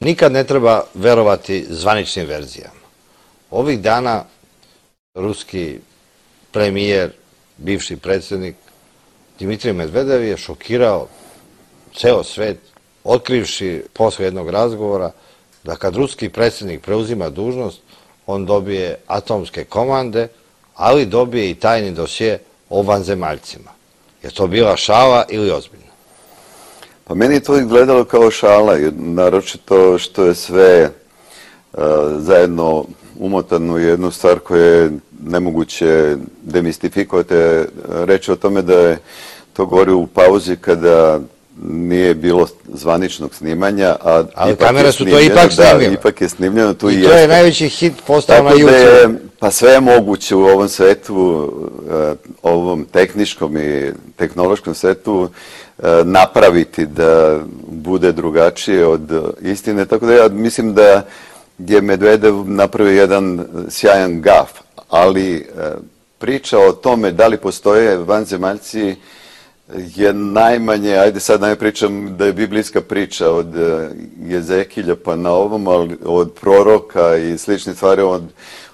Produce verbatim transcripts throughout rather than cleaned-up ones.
Nikad ne treba verovati zvaničnim verzijama. Ovih dana ruski premijer, bivši predsjednik Dimitrij Medvedev je šokirao ceo svet, otkrivši posle jednog razgovora da kad ruski predsjednik preuzima dužnost, on dobije atomske komande, ali dobije i tajni dosje o vanzemaljcima. Je to bila šala ili ozbiljno? Pa meni je to izgledalo kao šala, naročito što je sve zajedno umotano u jednu stvar koju je nemoguće demistifikovati. Reći o tome da je to govorio u pauzi kada nije bilo zvaničnog snimanja, a ali kamere su to ipak snimile. Da, ipak je snimljeno. Tu i to je najveći hit postao na YouTube. Pa sve je moguće u ovom svetu, ovom tehničkom i tehnološkom svetu napraviti da bude drugačije od istine. Tako da ja mislim da je Medvedev napravio jedan sjajan gaf, ali priča o tome da li postoje vanzemaljci je najmanje, ajde sad ne pričam da je biblijska priča od Jezekilja pa na ovom, ali od proroka i slične stvari, od,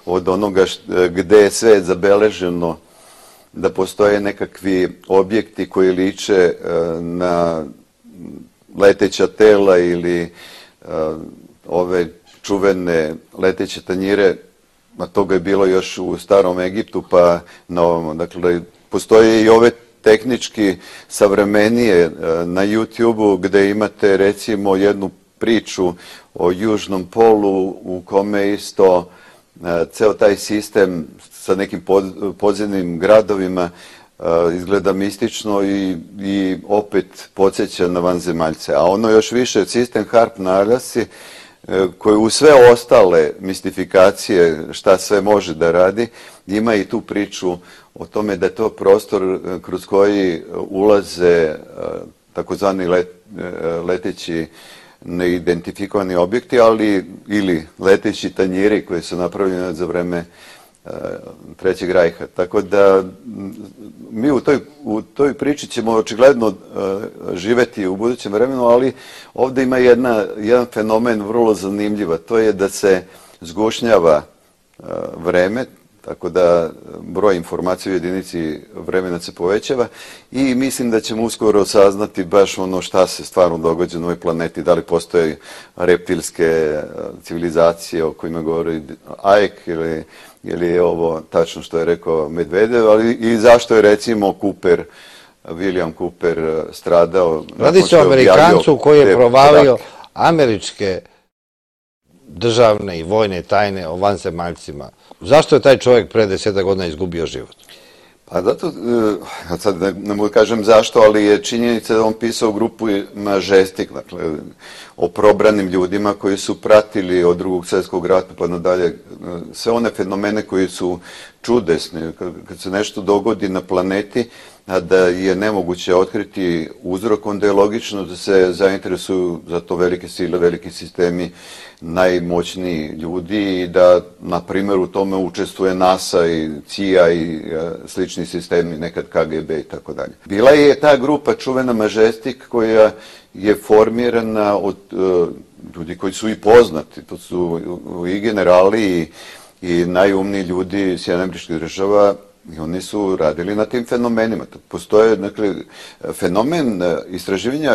od onoga gde je sve zabeleženo da postoje nekakvi objekti koji liče na leteća tela ili ove čuvene leteće tanjire, a toga je bilo još u starom Egiptu pa na ovom. Dakle, postoje i ove tehnički savremenije na YouTube-u gde imate recimo jednu priču o južnom polu u kome isto ceo taj sistem sa nekim podzemnim gradovima izgleda mistično i, i opet podsjeća na vanzemaljce. A ono još više, sistem Harp na Aljasi, koji u sve ostale mistifikacije šta sve može da radi, ima i tu priču o tome da je to prostor kroz koji ulaze takozvani let, leteći neidentifikovani objekti, ali ili leteći tanjiri koji su napravljeni za vreme Trećeg rajha. Tako da mi u toj, u toj priči ćemo očigledno živeti u budućem vremenu, ali ovde ima jedna, jedan fenomen vrlo zanimljiv, to je da se zgušnjava vreme, tako da broj informacija u jedinici vremena se povećava i mislim da ćemo uskoro saznati baš ono šta se stvarno događa na ovoj planeti, da li postoje reptilske civilizacije o kojima govori Ike ili, ili je ovo tačno što je rekao Medvedev, ali i zašto je recimo Cooper, William Cooper stradao. Radi se o Amerikancu koji je provalio američke državne i vojne tajne o vanzemaljcima. Zašto je taj čovjek pre deseta godina izgubio život? Pa zato, sad ne, ne mogu kažem zašto, ali je činjenica da on pisao grupu Majestic, dakle, o probranim ljudima koji su pratili od drugog svjetskog rata pa nadalje sve one fenomene koji su čudesni. Kad se nešto dogodi na planeti, a da je nemoguće otkriti uzrok, onda je logično da se zainteresuju za to velike sile, veliki sistemi, najmoćniji ljudi i da, na primjer, u tome učestvuje NASA i C I A i slični sistemi, nekad K G B i tako dalje. Bila je ta grupa čuvena Majestic koja je formirana od uh, ljudi koji su i poznati, to su i generali i, i najumniji ljudi Sjedinjenih Američkih Država. I oni su radili na tim fenomenima. Postoje, dakle, fenomen istraživanja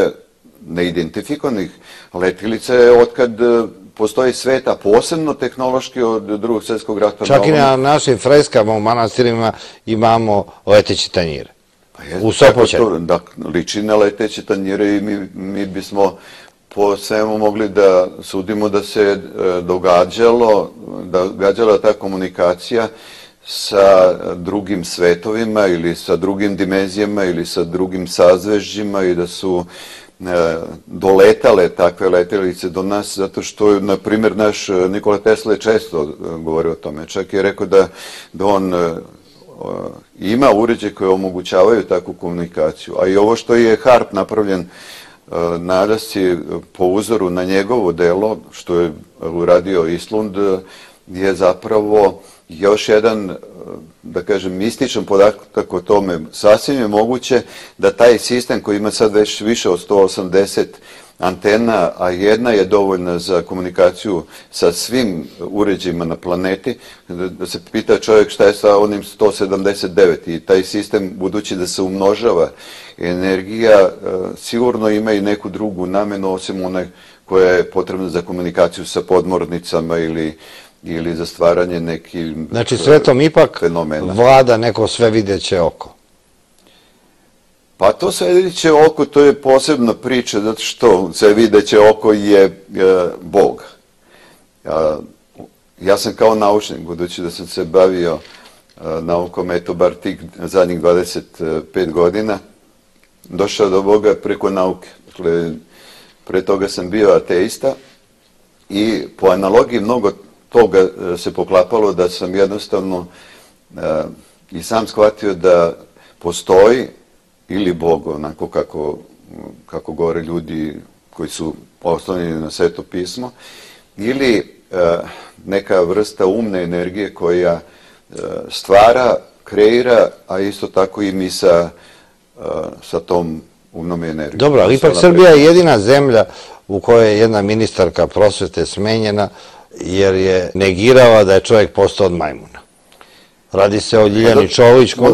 neidentifikovanih letilica je otkad postoji svet, a posebno tehnološki od drugog svjetskog rata. Čak i na našim freskama u manastirima imamo leteće tanjire. Pa je, u Sopoćanu. Da, liči na leteće tanjire i mi, mi bismo po svemu mogli da sudimo da se događalo, da događala ta komunikacija sa drugim svetovima ili sa drugim dimenzijama ili sa drugim sazvežđima i da su e, doletale takve letelice do nas, zato što, na primjer, naš Nikola Tesla je često govorio o tome. Čak je rekao da, da on e, ima uređaje koje omogućavaju takvu komunikaciju. A i ovo što je Harp napravljen e, na Aljasci po uzoru na njegovo delo, što je uradio Islund, je zapravo još jedan, da kažem, mističan podatak o tome. Sasvim je moguće da taj sistem koji ima sad već više od sto osamdeset antena, a jedna je dovoljna za komunikaciju sa svim uređajima na planeti, da se pita čovjek šta je sa onim sto sedamdeset devet i taj sistem, budući da se umnožava energija, sigurno ima i neku drugu namenu osim one koja je potrebna za komunikaciju sa podmornicama ili ili za stvaranje nekih Znači, svetom ipak fenomena. vlada neko svevideće oko. Pa to svevideće oko, to je posebna priča, zato što svevideće oko je e, Bog. Ja, ja sam kao naučnik, budući da sam se bavio e, naukom, eto, bar tih zadnjih dvadeset pet godina, došao do Boga preko nauke. Dakle, pre toga sam bio ateista i po analogiji mnogo toga se poklapalo da sam jednostavno e, i sam shvatio da postoji ili Bog, onako kako, kako govore ljudi koji su oslonjeni na Sveto pismo, ili e, neka vrsta umne energije koja e, stvara, kreira, a isto tako i mi sa, e, sa tom umnom energijom. Dobro, ali ipak Srbija je jedina zemlja u kojoj je jedna ministarka prosvete smenjena jer je negirala da je čovjek postao od majmuna. Radi se o Ljiljani Čolić, u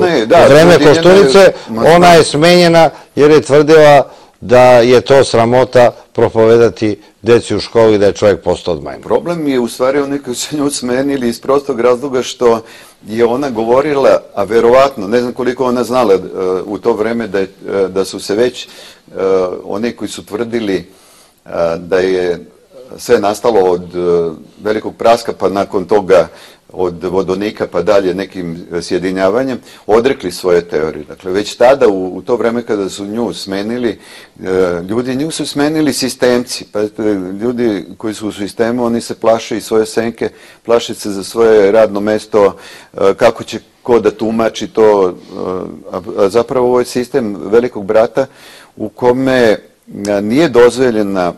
vreme Koštunice, ona je smenjena jer je tvrdila da je to sramota propovedati deci u školi da je čovjek postao od majmuna. Problem je u stvari oni koji su nju smenili iz prostog razloga što je ona govorila, a verovatno, ne znam koliko ona znala uh, u to vreme da, je, uh, da su se već uh, oni koji su tvrdili uh, da je sve nastalo od uh, velikog praska pa nakon toga od vodonika pa dalje nekim sjedinjavanjem, odrekli svoje teorije. Dakle, već tada, u, u to vreme kada su nju smenili, e, ljudi nju su smenili sistemci. Pa, ljudi koji su u sistemu, oni se plaše i svoje senke, plaše se za svoje radno mesto, e, kako će ko da tumači to. E, a, a zapravo ovo je sistem velikog brata u kome a, nije dozvoljena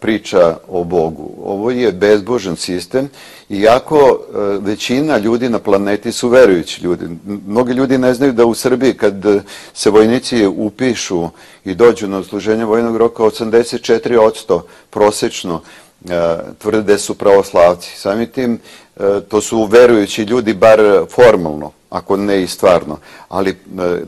priča o Bogu. Ovo je bezbožan sistem, iako većina ljudi na planeti su verujući ljudi. Mnogi ljudi ne znaju da u Srbiji kad se vojnici upišu i dođu na odsluženje vojnog roka, osamdeset četiri posto prosečno tvrde da su pravoslavci. Samim tim, to su verujući ljudi, bar formalno, ako ne i stvarno. Ali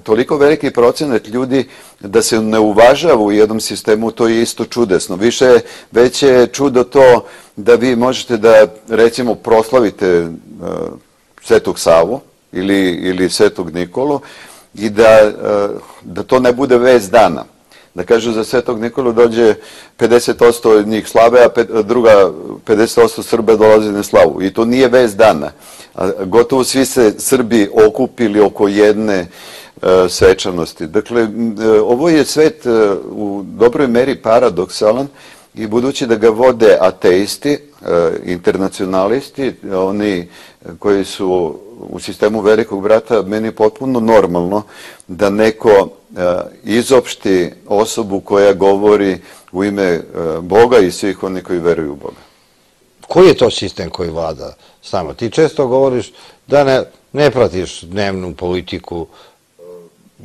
toliko veliki procenat ljudi da se ne uvažava u jednom sistemu, to je isto čudesno. Više, već je čudo to da vi možete da, recimo, proslavite uh, Svetog Savu ili, ili Svetog Nikolu i da, uh, da to ne bude vest dana. Da kažu za Svetog Nikolu dođe pedeset posto njih slave, a pet, druga pedeset posto Srba dolazi na slavu. I to nije vest dana. A gotovo svi se Srbi okupili oko jedne uh, svečanosti. Dakle, uh, ovo je svet uh, u dobroj meri paradoksalan i budući da ga vode ateisti, uh, internacionalisti, oni koji su u sistemu velikog brata, meni je potpuno normalno da neko uh, izopšti osobu koja govori u ime uh, Boga i svih oni koji veruju u Boga. Koji je to sistem koji vlada s nama? Ti često govoriš da ne, ne pratiš dnevnu politiku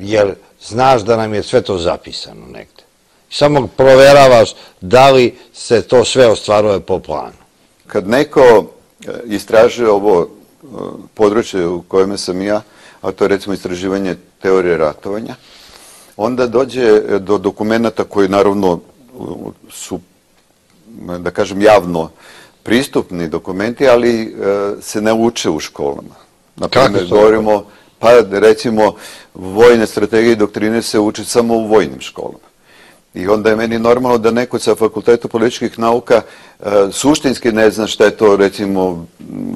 jer znaš da nam je sve to zapisano negde. Samo proveravaš da li se to sve ostvaruje po planu. Kad neko istražuje ovo područje u kojem sam ja, a to je recimo istraživanje teorije ratovanja, onda dođe do dokumenta koji naravno su, da kažem, javno pristupni dokumenti, ali e, se ne uče u školama. Naprimjer, govorimo, pa recimo, vojne strategije i doktrine se uče samo u vojnim školama. I onda je meni normalno da neko sa Fakultetu političkih nauka e, suštinski ne zna šta je to, recimo,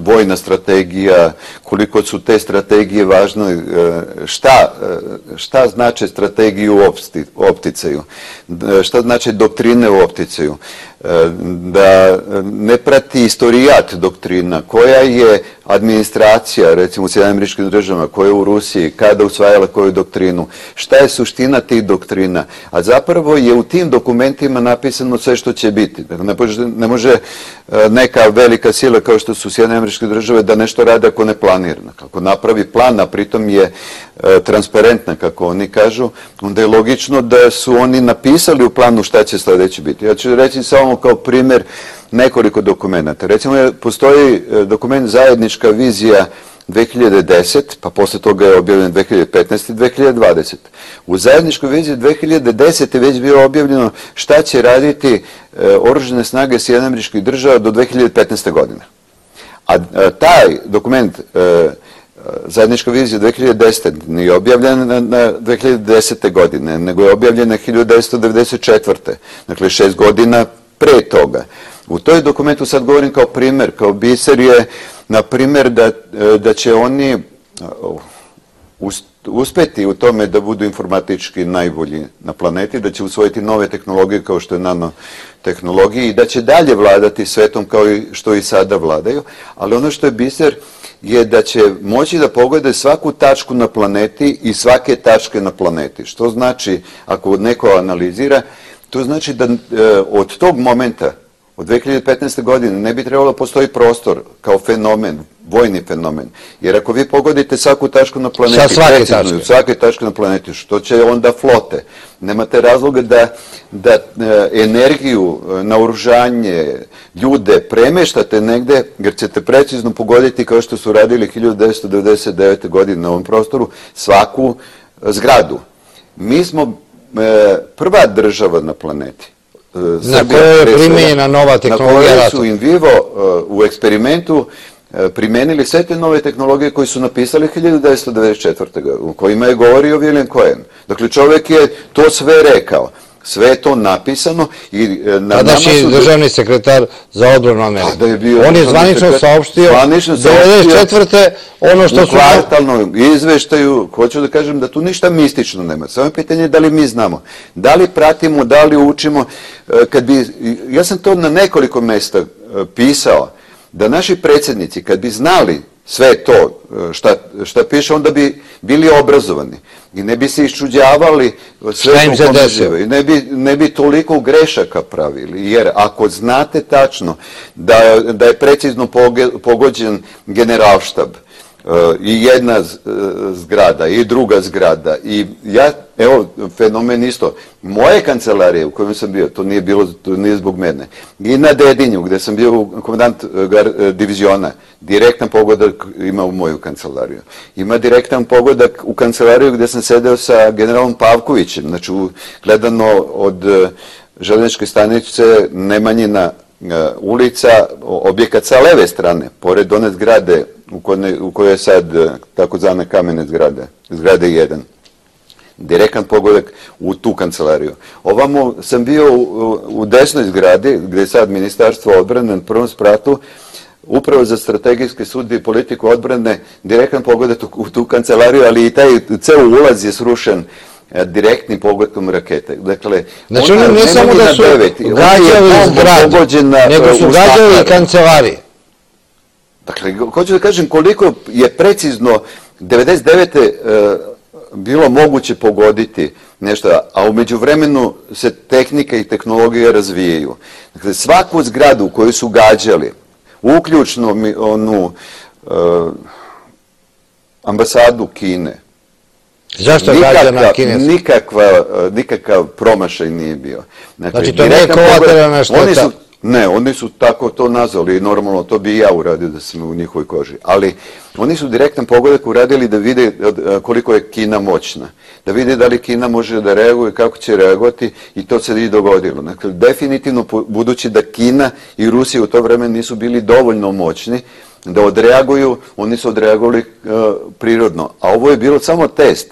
vojna strategija, koliko su te strategije važne, e, šta, e, šta znače strategiju u opsti, opticaju, e, šta znače doktrine u opticaju, e, da ne prati istorijat doktrina, koja je administracija, recimo u Sjedinjenim Američkim Državama, koja je u Rusiji, kada usvajala koju doktrinu, šta je suština tih doktrina, a zapravo je u tim dokumentima napisano sve što će biti. Ne može, ne može neka velika sila kao što su Sjedinjene Američke Države da nešto radi ako ne planira. Ako napravi plan, a pritom je transparentna, kako oni kažu, onda je logično da su oni napisali u planu šta će sledeće biti. Ja ću reći samo kao primjer nekoliko dokumenta. Recimo, postoji dokument Zajednička vizija dve hiljade desete, pa posle toga je objavljen dve hiljade petnaeste i dve hiljade dvadesete. U zajedničkoj viziji dve hiljade desete već bilo objavljeno šta će raditi oružane snage Sjedinjenih Američkih Država do dve hiljade petnaeste. godine. A taj dokument Zajednička vizija dve hiljade desete nije objavljena na dve hiljade desete. godine, nego je objavljena hiljadu devetsto devedeset četvrte. Dakle, šest godina pre toga. U toj dokumentu, sad govorim kao primer, kao biser je, na primjer, da, da će oni uspeti u tome da budu informatički najbolji na planeti, da će usvojiti nove tehnologije kao što je nanotehnologija i da će dalje vladati svetom kao i što i sada vladaju, ali ono što je biser je da će moći da pogode svaku tačku na planeti i svake tačke na planeti. Što znači, ako neko analizira, to znači da od tog momenta, od dve hiljade petnaeste. godine, ne bi trebalo da postoji prostor kao fenomen, vojni fenomen. Jer ako vi pogodite svaku tačku na planeti, sa svake tačke, svake tačke na planeti, što će onda flote? Nemate razloga da, da energiju, naoružanje, ljude premeštate negde, jer ćete precizno pogoditi, kao što su radili hiljadu devetsto devedeset devete. godine na ovom prostoru, svaku zgradu. Mi smo e, prva država na planeti. Na kojoj je primenjena nova tehnologija rata. Na kojoj su in vivo u eksperimentu primenili sve te nove tehnologije koje su napisali hiljadu devetsto devedeset četvrte. u kojima je govorio William Cohen. Dakle, čovjek je to sve rekao. Sve je to napisano i na tadašnji državni sekretar za odbranu Amerike. On je zvanično saopštio devedeset četvrte ono što su... U kvartalnom izveštaju, hoću da kažem da tu ništa mistično nema. Samo je pitanje da li mi znamo, da li pratimo, da li učimo. Kad bi, ja sam to na nekoliko mesta pisao, da naši predsjednici, kad bi znali sve to šta, šta piše, onda bi bili obrazovani i ne bi se iščuđavali sve što pomeđeva i ne bi, ne bi toliko grešaka pravili, jer ako znate tačno da, da je precizno pogođen generalštab, i jedna zgrada i druga zgrada i ja, evo, fenomen isto, moje kancelarije u kojem sam bio, to nije bilo, to nije zbog mene, i na Dedinju gde sam bio komandant diviziona, direktan pogodak ima u moju kancelariju. Ima direktan pogodak u kancelariju gde sam sedeo sa generalom Pavkovićem, znači gledano od železničke stanice Nemanjina ulica, objekat sa leve strane, pored one zgrade u kojoj je sad takozvane kamene zgrade, zgrade jedan. Direktan pogodak u tu kancelariju. Ovamo sam bio u desnoj zgradi, gde je sad Ministarstvo odbrane na prvom spratu, upravo za strategijske studije i politiku odbrane, direktan pogodak u tu kancelariju, ali i taj ceo ulaz je srušen direktnim pogodkom rakete. Dakle, znači oni ne samo da su gađali zgradu, nego su gađali i kancelarije. Dakle, hoću da kažem koliko je precizno devedeset devete bilo moguće pogoditi nešto, a umeđu vremenu se tehnika i tehnologija razvijaju. Dakle, svaku zgradu koju su gađali, uključno onu ambasadu Kine, zašto gađana kineska? Nikakva, nikakav promašaj nije bio. Znači, to nije kolateralna šteta? Ne, oni su tako to nazvali i normalno to bi i ja uradio da sam u njihovoj koži. Ali oni su direktan pogodak uradili da vide koliko je Kina moćna. Da vide da li Kina može da reaguje, kako će reagovati i to se i dogodilo. Dakle, definitivno, budući da Kina i Rusija u to vreme nisu bili dovoljno moćni da odreaguju, oni su odreagovali prirodno. A ovo je bilo samo test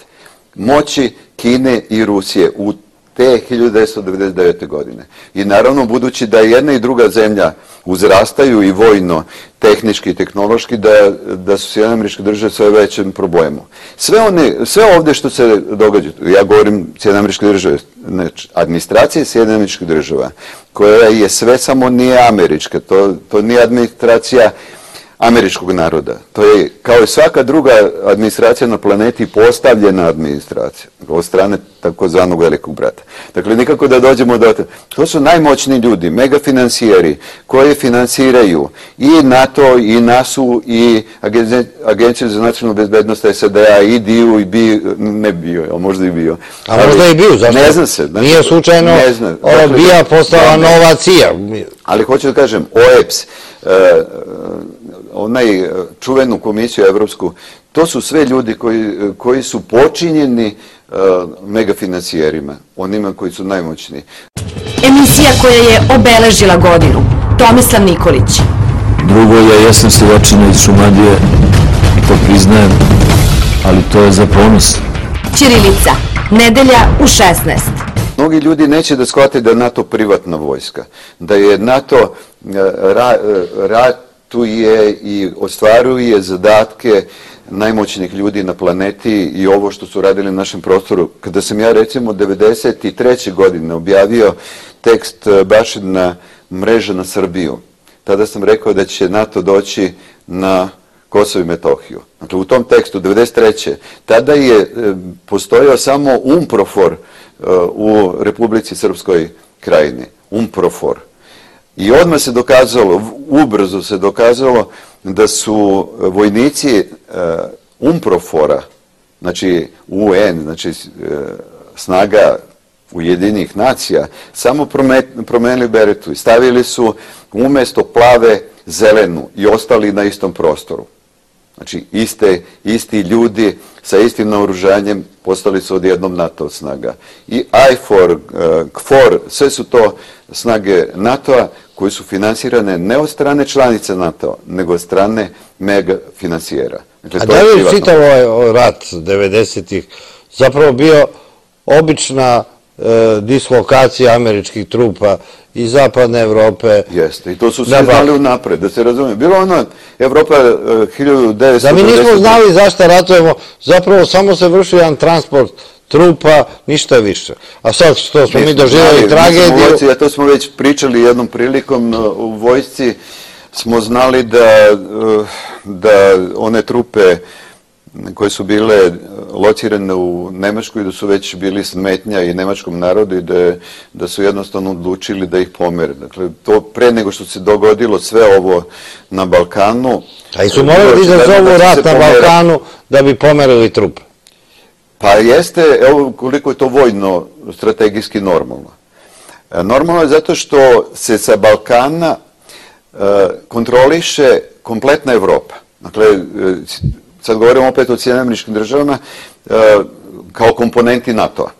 moći Kine i Rusije u te hiljadu devetsto devedeset devete. godine. I naravno, budući da jedna i druga zemlja uzrastaju i vojno, tehnički i tehnološki, da, da su Sjedinjene Američke Države sve većem problemu. Sve, one, sve ovde što se događa, ja govorim Sjedinjene Američke Države, znači, administracija Sjedinjenih Američkih Država, koja je sve samo nije američka, to, to nije administracija američkog naroda. To je, kao i svaka druga administracija na planeti, postavljena administracija od strane takozvanog velikog brata. Dakle, nikako da dođemo do... To su najmoćniji ljudi, megafinancijeri, koji finansiraju i NATO, i nasu, i Agenciju za nacionalnu bezbednost S A D-a, i D I U, i B I U, ne B I U, ali možda i B I U. A možda i B I U, zašto? Ne zna se. Nije slučajno B I A postala nova C I A. Ali hoću da kažem, O E P S, onaj čuvenu komisiju evropsku, to su sve ljudi koji su počinjeni megafinancijerima, onima koji su najmoćniji. Emisija koja je obeležila godinu. Tomislav Nikolić. Drugo je, ja sam seljačina iz Šumadije, to priznajem, ali to je za ponos. Ćirilica. Nedelja u šesnaest. Mnogi ljudi neće da shvate da je NATO privatna vojska, da je NATO ratuje i ostvaruje zadatke najmoćnijih ljudi na planeti i ovo što su radili na našem prostoru. Kada sam ja recimo devedeset treće godine objavio tekst Bašina mreža na Srbiju, tada sam rekao da će NATO doći na Kosovo i Metohiju. Dakle, u tom tekstu devedeset treće tada je postojao samo UNPROFOR u Republici Srpskoj krajini. UNPROFOR. I odmah se dokazalo, ubrzo se dokazalo da su vojnici UNPROFOR-a, znači U N, znači snaga Ujedinjenih nacija, samo promenili beretu i stavili su umesto plave zelenu i ostali na istom prostoru. Znači, iste, isti ljudi sa istim naoružanjem postali su odjednom NATO snaga. I I F O R, K F O R, sve su to snage NATO-a koji su finansirane ne od strane članice NATO-a, nego od strane megafinancijera. A da li je čitav ovaj rat devedesetih zapravo bio obična dislokacija američkih trupa iz zapadne Evrope? Jeste, i to su svi znali unapred, da se razumije. Bilo ono, Evropa hiljadu devetsto... Da mi nismo znali zašto ratujemo, zapravo samo se vrši jedan transport trupa, ništa više. A sad što smo mi doživjeli tragediju... To smo već pričali jednom prilikom u vojsci, smo znali da one trupe koje su bile locirane u Nemačkoj, da su već bili smetnja i nemačkom narodu i da su jednostavno odlučili da ih pomere. Dakle, to pre nego što se dogodilo sve ovo na Balkanu... A i su morali da izazovu rat na Balkanu da bi pomerili trupe? Pa jeste, evo koliko je to vojno strategijski normalno. Normalno je zato što se sa Balkana kontroliše kompletna Evropa. Dakle, sad govorimo opet o Sjedinjenim Američkim Državama, kao komponenti NATO-a,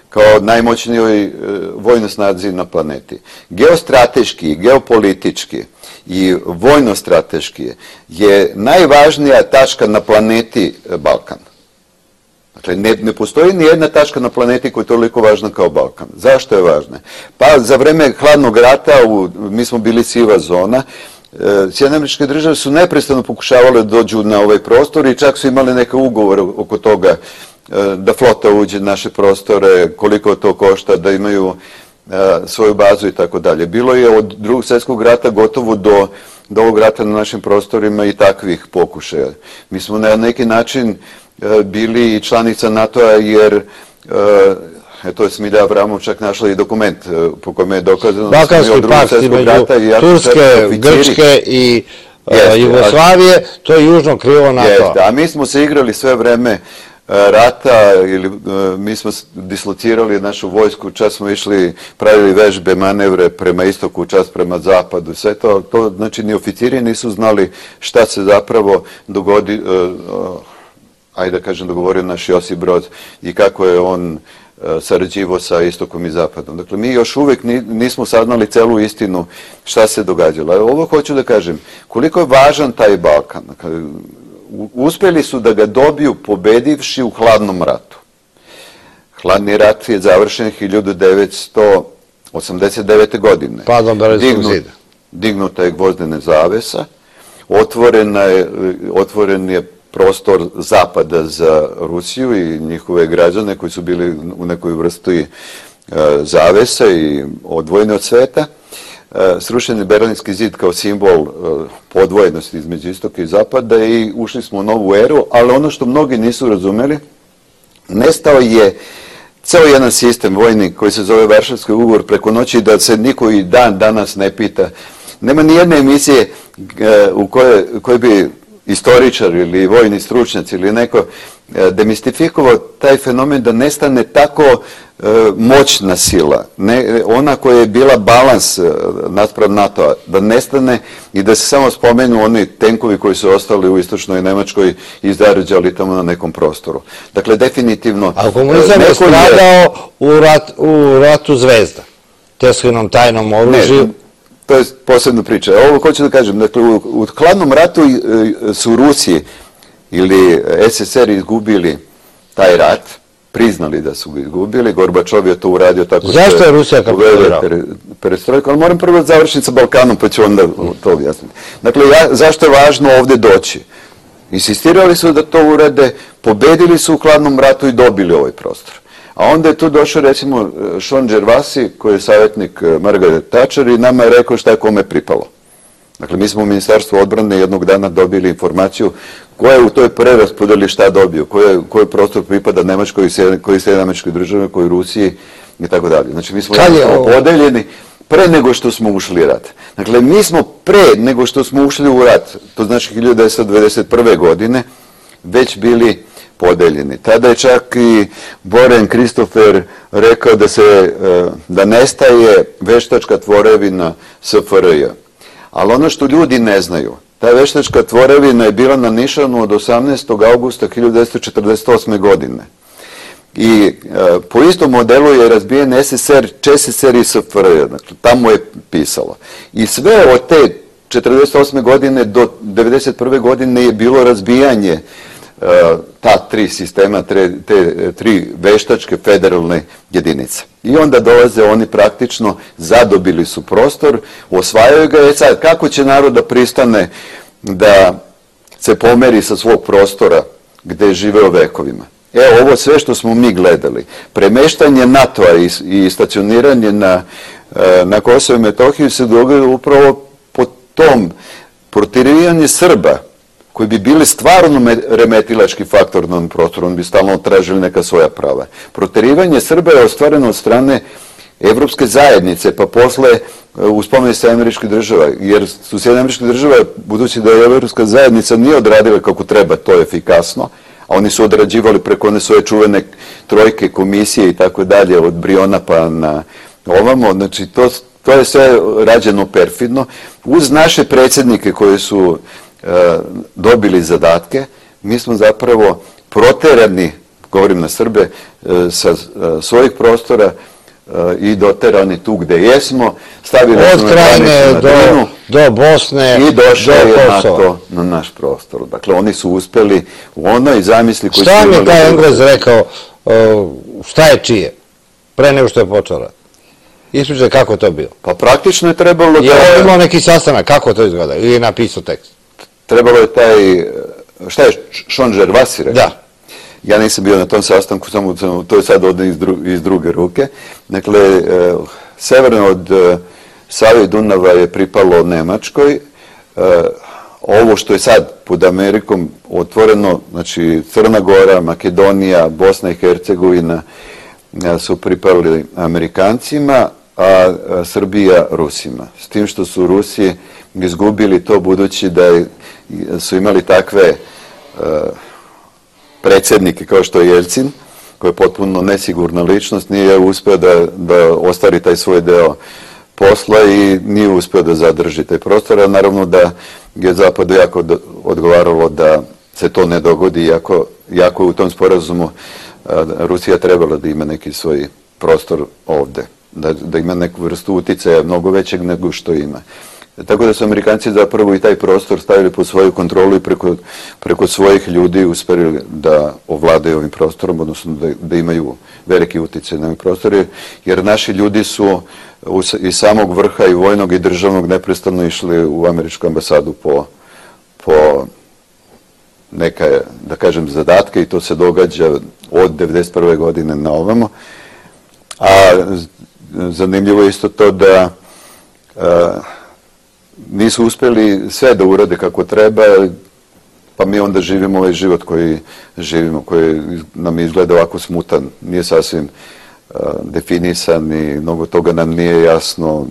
kao najmoćnijoj vojnoj snazi na planeti. Geostrateški, geopolitički i vojno-strateški je najvažnija tačka na planeti Balkan. Dakle, ne postoji ni jedna tačka na planeti koja je toliko važna kao Balkan. Zašto je važna? Pa za vreme hladnog rata, mi smo bili siva zona, Sjedinjene Američke Države su neprestano pokušavale da dođu na ovaj prostor i čak su imali neke ugovore oko toga da flota uđe na naše prostore, koliko to košta, da imaju svoju bazu i tako dalje. Bilo je od Drugog svjetskog rata gotovo do ovog rata na našim prostorima i takvih pokušaja. Mi smo na neki način bili članica NATO-a jer eto je Smilja Avramov čak našla i dokument po kojem je dokazano da smo mi od Drugog svjetskog rata i Turske, Grčke i Jugoslavije, to je južno krilo NATO-a. A mi smo se igrali sve vreme rata, ili mi smo dislocirali našu vojsku, čas smo išli, pravili vežbe, manevre prema istoku, čas prema zapadu, sve to, to znači ni oficiri nisu znali šta se zapravo dogodi, ajde da kažem, dogovorio naš Josip Broz i kako je on sarađivao sa istokom i zapadom. Dakle, mi još uvijek nismo saznali celu istinu šta se događalo. Ovo hoću da kažem, koliko je važan taj Balkan. Uspjeli su da ga dobiju pobedivši u hladnom ratu. Hladni rat je završen hiljadu devetsto osamdeset devete. godine. Padom Berlinskog zida. Dignuta je gvozdena zavesa, otvoren je prostor zapada za Rusiju i njihove građane koji su bili u nekoj vrsti zavese i odvojeni od sveta. srušen je Berlinski zid kao simbol podvojenosti između istoka i zapada i ušli smo u novu eru, ali ono što mnogi nisu razumeli, nestao je ceo jedan sistem vojni koji se zove Varšavski ugovor preko noći, da se niko i dan danas ne pita. Nema ni jedne emisije u kojoj, kojoj bi istoričar ili vojni stručnjac ili neko demistifikovao taj fenomen da nestane tako e, moćna sila, ne, ona koja je bila balans naspram NATO-a, da nestane i da se samo spomenu oni tenkovi koji su ostali u istočnoj Nemačkoj i zarađali tamo na nekom prostoru. Dakle, definitivno... A komunizam je stradao u, rat, u ratu Zvezda, Teslinom tajnom oružju. Ne, to je posebna priča. Ovo hoću da kažem, dakle, u, u hladnom ratu su Rusiji ili S S R izgubili taj rat, priznali da su ga izgubili, Gorbačov je to uradio tako što... Zašto je Rusija kapitulirala? Perestrojka, ali moram prvo završiti sa Balkanom, pa ću onda to objasniti. Dakle, ja, zašto je važno ovde doći? Insistirali su da to urade, pobedili su u hladnom ratu i dobili ovaj prostor. A onda je tu došao, recimo, Sean Gervasi, koji je savjetnik Margaret Thatcher i nama je rekao šta je kome pripalo. Dakle, mi smo u Ministarstvu odbrane jednog dana dobili informaciju koja je u toj preraspodeli šta dobio, koji prostor pripada Nemačkoj, koji se Nemačkoj državi, koji Rusiji i tako dalje. Znači, mi smo podeljeni pre nego što smo ušli u rat. Dakle, mi smo pre nego što smo ušli u rat, to znači hiljadu devetsto devedeset prve. godine, već bili podeljeni. Tada je čak i Boren Kristofer rekao da se, da nestaje veštačka tvorevina S F R J. Ali ono što ljudi ne znaju, ta veštačka tvorevina je bila na Nišanu od osamnaestog avgusta hiljadu devetsto četrdeset osme. godine. I e, po istom modelu je razbijen S S R, Č S S R i S F R J. Dakle, tamo je pisalo. I sve od te četrdeset osme. godine do devedeset prve. godine je bilo razbijanje e, ta tri sistema, tre, te tri veštačke federalne jedinice. I onda dolaze oni praktično, zadobili su prostor, osvajaju ga. E sad, kako će narod da pristane da se pomeri sa svog prostora gde je živeo vekovima? Evo, ovo sve što smo mi gledali, premeštanje NATO-a i, i stacioniranje na, na Kosovo i Metohiju se događa upravo po tom protirivanje Srba, koji bi bili stvarno remetilački faktor na ovom prostoru, on bi stalno tražili neka svoja prava. Proterivanje Srba je ostvareno od strane Evropske zajednice, pa posle uspomene Sjedinjenih Američkih Država, jer su Sjedinjene Američke Države, budući da je Evropska zajednica nije odradila kako treba to efikasno, a oni su odrađivali preko one svoje čuvene trojke, komisije i tako dalje, od Briona pa na ovamo, znači to, to je sve rađeno perfidno, uz naše predsjednike koji su dobili zadatke, mi smo zapravo proterani, govorim na Srbe, sa svojih prostora i doterani tu gde jesmo, stavili smo na granicu na Drinu do Bosne i došao je NATO na naš prostor. Dakle, oni su uspeli u onoj zamisli koji su imali... Šta mi je taj Englez rekao, šta je čije, pre nego što je počeo rat? Ispričaj kako to bilo. Pa praktično je trebalo da... Je imao neki sastanak, kako to izgleda, ili je napisao tekst? Trebalo je taj, šta je Sean Gervasi rekao? Da. Ja nisam bio na tom sastanku, samo to je sad ovdje iz, dru, iz druge ruke. Dakle, eh, severno od eh, Save i Dunava je pripalo Nemačkoj. Eh, ovo što je sad pod Amerikom otvoreno, znači Crna Gora, Makedonija, Bosna i Hercegovina eh, su pripali Amerikancima, a, a Srbija Rusima. S tim što su Rusi izgubili to budući da je, su imali takve uh, predsjednike kao što je Jelcin, koji je potpuno nesigurna ličnost, nije uspio da, da ostvari taj svoj deo posla i nije uspio da zadrži taj prostor, a naravno da je Zapadu jako do, odgovaralo da se to ne dogodi, jako, jako u tom sporazumu uh, Rusija trebala da ima neki svoj prostor ovde, da, da ima neku vrstu uticaja mnogo većeg nego što ima. Tako da su Amerikanci zapravo i taj prostor stavili pod svoju kontrolu i preko, preko svojih ljudi uspeli da ovladaju ovim prostorom, odnosno da, da imaju veliki uticaj na ovim prostori, jer naši ljudi su iz samog vrha i vojnog i državnog neprestano išli u američku ambasadu po, po neka, da kažem, zadatke i to se događa od devedeset prve. godine na ovamo. A zanimljivo je isto to da nisu uspjeli sve da urade kako treba, pa mi onda živimo ovaj život koji živimo, koji nam izgleda ovako smutan, nije sasvim definisan i mnogo toga nam nije jasno.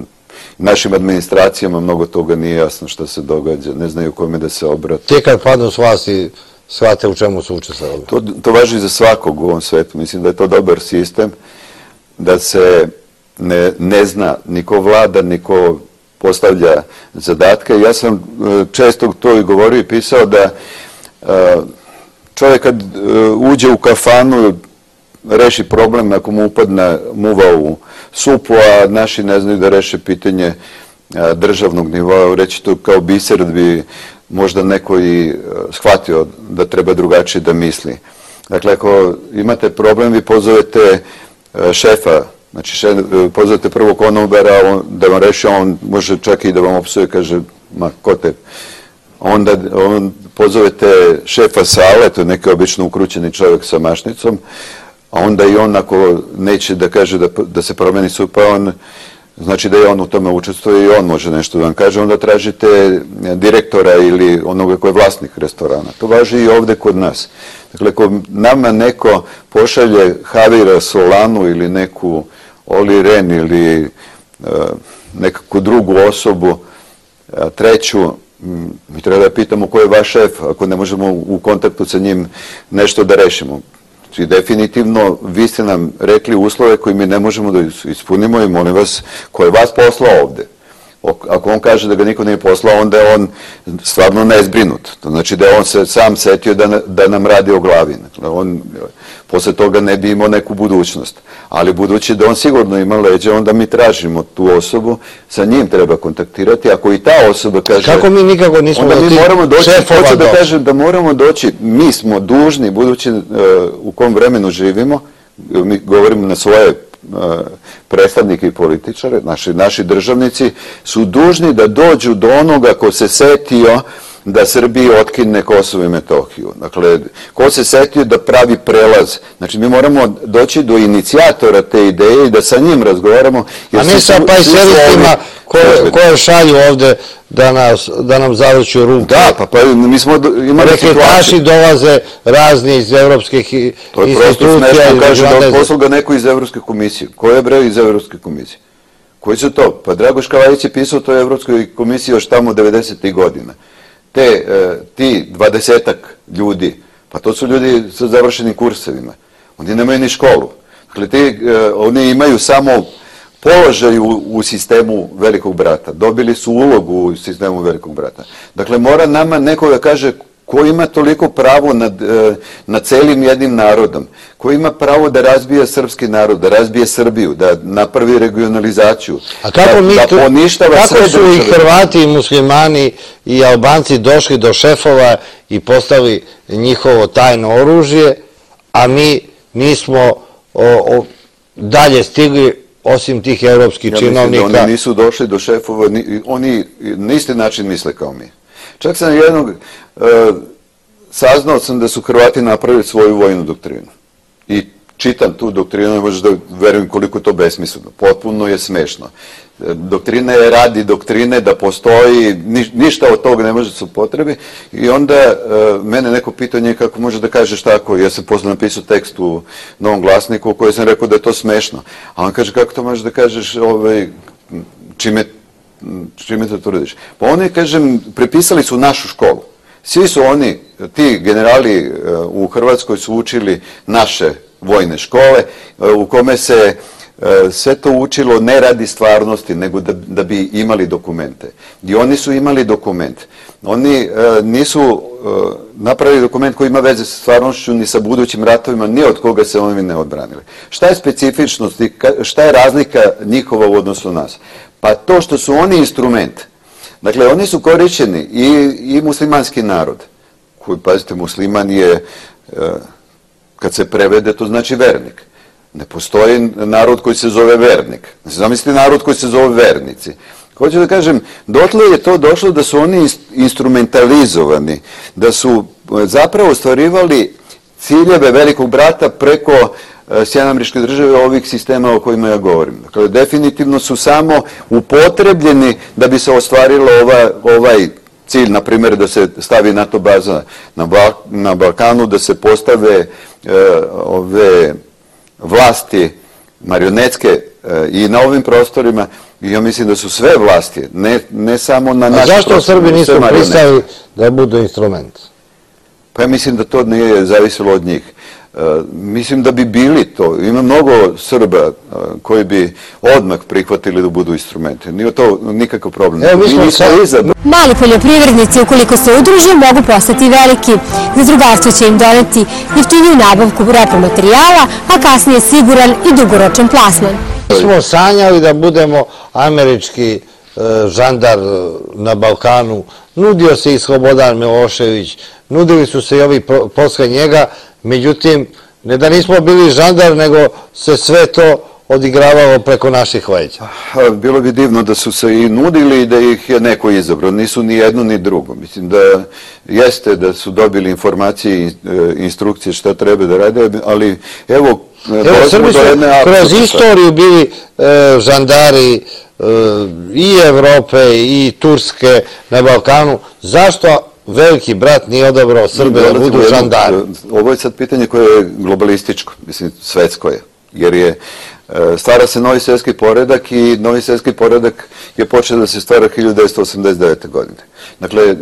Našim administracijama mnogo toga nije jasno što se događa, ne znaju kome da se obrate. Ti kad padnu s vlasti, shvate u čemu su učestvovali? To, to važi za svakog u ovom svetu. Mislim da je to dobar sistem, da se ne, ne zna niko vlada, niko postavlja zadatke. Ja sam često to i govorio i pisao da čovjek kad uđe u kafanu, reši problem ako mu upadne muva u supu, a naši ne znaju da reše pitanje državnog nivoa, reći to kao biser da bi možda neko i shvatio da treba drugačije da misli. Dakle, ako imate problem, vi pozovete šefa, znači šef, pozovete prvog konobara da vam reši, on može čak i da vam opsuje, kaže, ma, ko te? Onda on, pozovete šefa sale, to je neki obično ukrućeni čovjek sa mašnicom, a onda i on ako neće da kaže da, da se promeni supa, on, znači da je on u tome učestvuje i on može nešto da vam kaže, onda tražite direktora ili onoga koji je vlasnik restorana. To važi i ovdje kod nas. Dakle, ako nama neko pošalje Javira Solanu ili neku Oli Ren ili uh, nekakvu drugu osobu, uh, treću, mi treba da pitamo ko je vaš šef, ako ne možemo u kontaktu sa njim nešto da rešimo. I definitivno, vi ste nam rekli uslove koji mi ne možemo da ispunimo i molim vas, ko je vas poslao ovde? Ako on kaže da ga niko nije poslao, onda je on stvarno nezbrinut. To znači da je on se sam setio da, da nam radi o glavi. On posle toga ne bi imao neku budućnost. Ali budući da on sigurno ima leđe, onda mi tražimo tu osobu, sa njim treba kontaktirati. Ako i ta osoba kaže... Kako mi nikako nismo onda mi moramo doći, hoću da kažem da moramo doći, mi smo dužni, budući uh, u kom vremenu živimo, mi govorimo na svoje predstavnike i političare, naši, naši državnici, su dužni da dođu do onoga ko se setio da Srbiji otkine Kosovo i Metohiju. Dakle, ko se setio da pravi prelaz. Znači, mi moramo doći do inicijatora te ideje i da sa njim razgovaramo. A ne sa pajseristima koje, koje šalju ovde da, nas, da nam zavrću ruke. Da, pa, pa mi smo imali situaciju. Rekretaši dolaze razni iz evropskih institucija. To je prosto smešno, kaže da poslao ga neko iz Evropske komisije. Ko je bre iz Evropske komisije? Koji su to? Pa Dragoš Kavajić je pisao to Evropskoj komisiji još tamo devedesetih godina. Te, ti dvadesetak ljudi, pa to su ljudi sa završenim kursevima. Oni nemaju ni školu. Dakle, ti, oni imaju samo položaj u, u sistemu Velikog brata. Dobili su ulogu u sistemu Velikog brata. Dakle, mora nama neko da kaže ko ima toliko pravo nad, nad celim jednim narodom, ko ima pravo da razbije srpski narod, da razbije Srbiju, da napravi regionalizaciju, A kako da, mi da poništava kako sve su i Hrvati i muslimani i Albanci došli do šefova i postali njihovo tajno oružje, a mi nismo o, o, dalje stigli osim tih evropskih ja činovnika. Mislim da oni nisu došli do šefova, ni, oni na isti način misle kao mi. Čak sam jednog, e, saznao sam da su Hrvati napravili svoju vojnu doktrinu. I čitam tu doktrinu i možeš da verujem koliko to besmisleno. Potpuno je smešno. E, doktrina je radi doktrine da postoji, ni, ništa od toga ne može se upotrebi. I onda e, mene neko pitao nje kako može da kažeš tako. Ja sam posle napisao tekst u Novom glasniku u kojoj sam rekao da je to smešno. A on kaže kako to možeš da kažeš ovaj, čime čime to tvrdiš? Pa oni, kažem, prepisali su našu školu. Svi su oni, ti generali u Hrvatskoj su učili naše vojne škole, u kome se sve to učilo ne radi stvarnosti, nego da, da bi imali dokumente. I oni su imali dokument. Oni nisu napravili dokument koji ima veze sa stvarnošću ni sa budućim ratovima, ni od koga se oni ne odbranili. Šta je specifičnost i šta je razlika njihova u odnosu nas? Pa to što su oni instrument. Dakle, oni su korišćeni i, i muslimanski narod, koji, pazite, musliman je, kad se prevede, to znači vernik. Ne postoji narod koji se zove vernik. Zamislite narod koji se zove vernici. Hoću da kažem, dotle je to došlo da su oni instrumentalizovani, da su zapravo ostvarivali ciljeve Velikog brata preko Sjedinjene Američke Države ovih sistema o kojima ja govorim. Dakle, definitivno su samo upotrebljeni da bi se ostvarilo ova, ovaj cilj, na primjer, da se stavi NATO baza na, Bal na Balkanu, da se postave e, ove vlasti marionetske e, i na ovim prostorima. I ja mislim da su sve vlasti, ne, ne samo na našim prostorima. A zašto Srbi nisu pristali da budu instrument? Pa ja mislim da to nije zavisilo od njih. Uh, mislim da bi bili to. Ima mnogo Srba uh, koji bi odmah prihvatili da budu instrumenti. Nije to nikakav problem. Evo, mi smo sad... Mali poljoprivrednici, ukoliko se udruže, mogu postati veliki. Zadrugarstvo će im doneti jeftiniju nabavku repromaterijala, a kasnije siguran i dugoročan plasman. Mi smo sanjali da budemo američki uh, žandar na Balkanu. Nudio se i Slobodan Milošević, nudili su se i ovi posle njega. Međutim, ne da nismo bili žandar, nego se sve to odigravalo preko naših leđa. Bilo bi divno da su se i nudili i da ih je neko izabrao. Nisu ni jedno ni drugo. Mislim da jeste da su dobili informacije i instrukcije šta treba da rade, ali evo... Evo, Srbi su kroz istoriju bili žandari i Evrope i Turske na Balkanu. Zašto veliki brat nije odabrao Srbe da budu žandari? Ovo je sad pitanje koje je globalističko, mislim, svetsko je, jer je stvara se novi svjetski poredak i novi svjetski poredak je počeo da se stvara hiljadu devetsto osamdeset devete. godine. Dakle,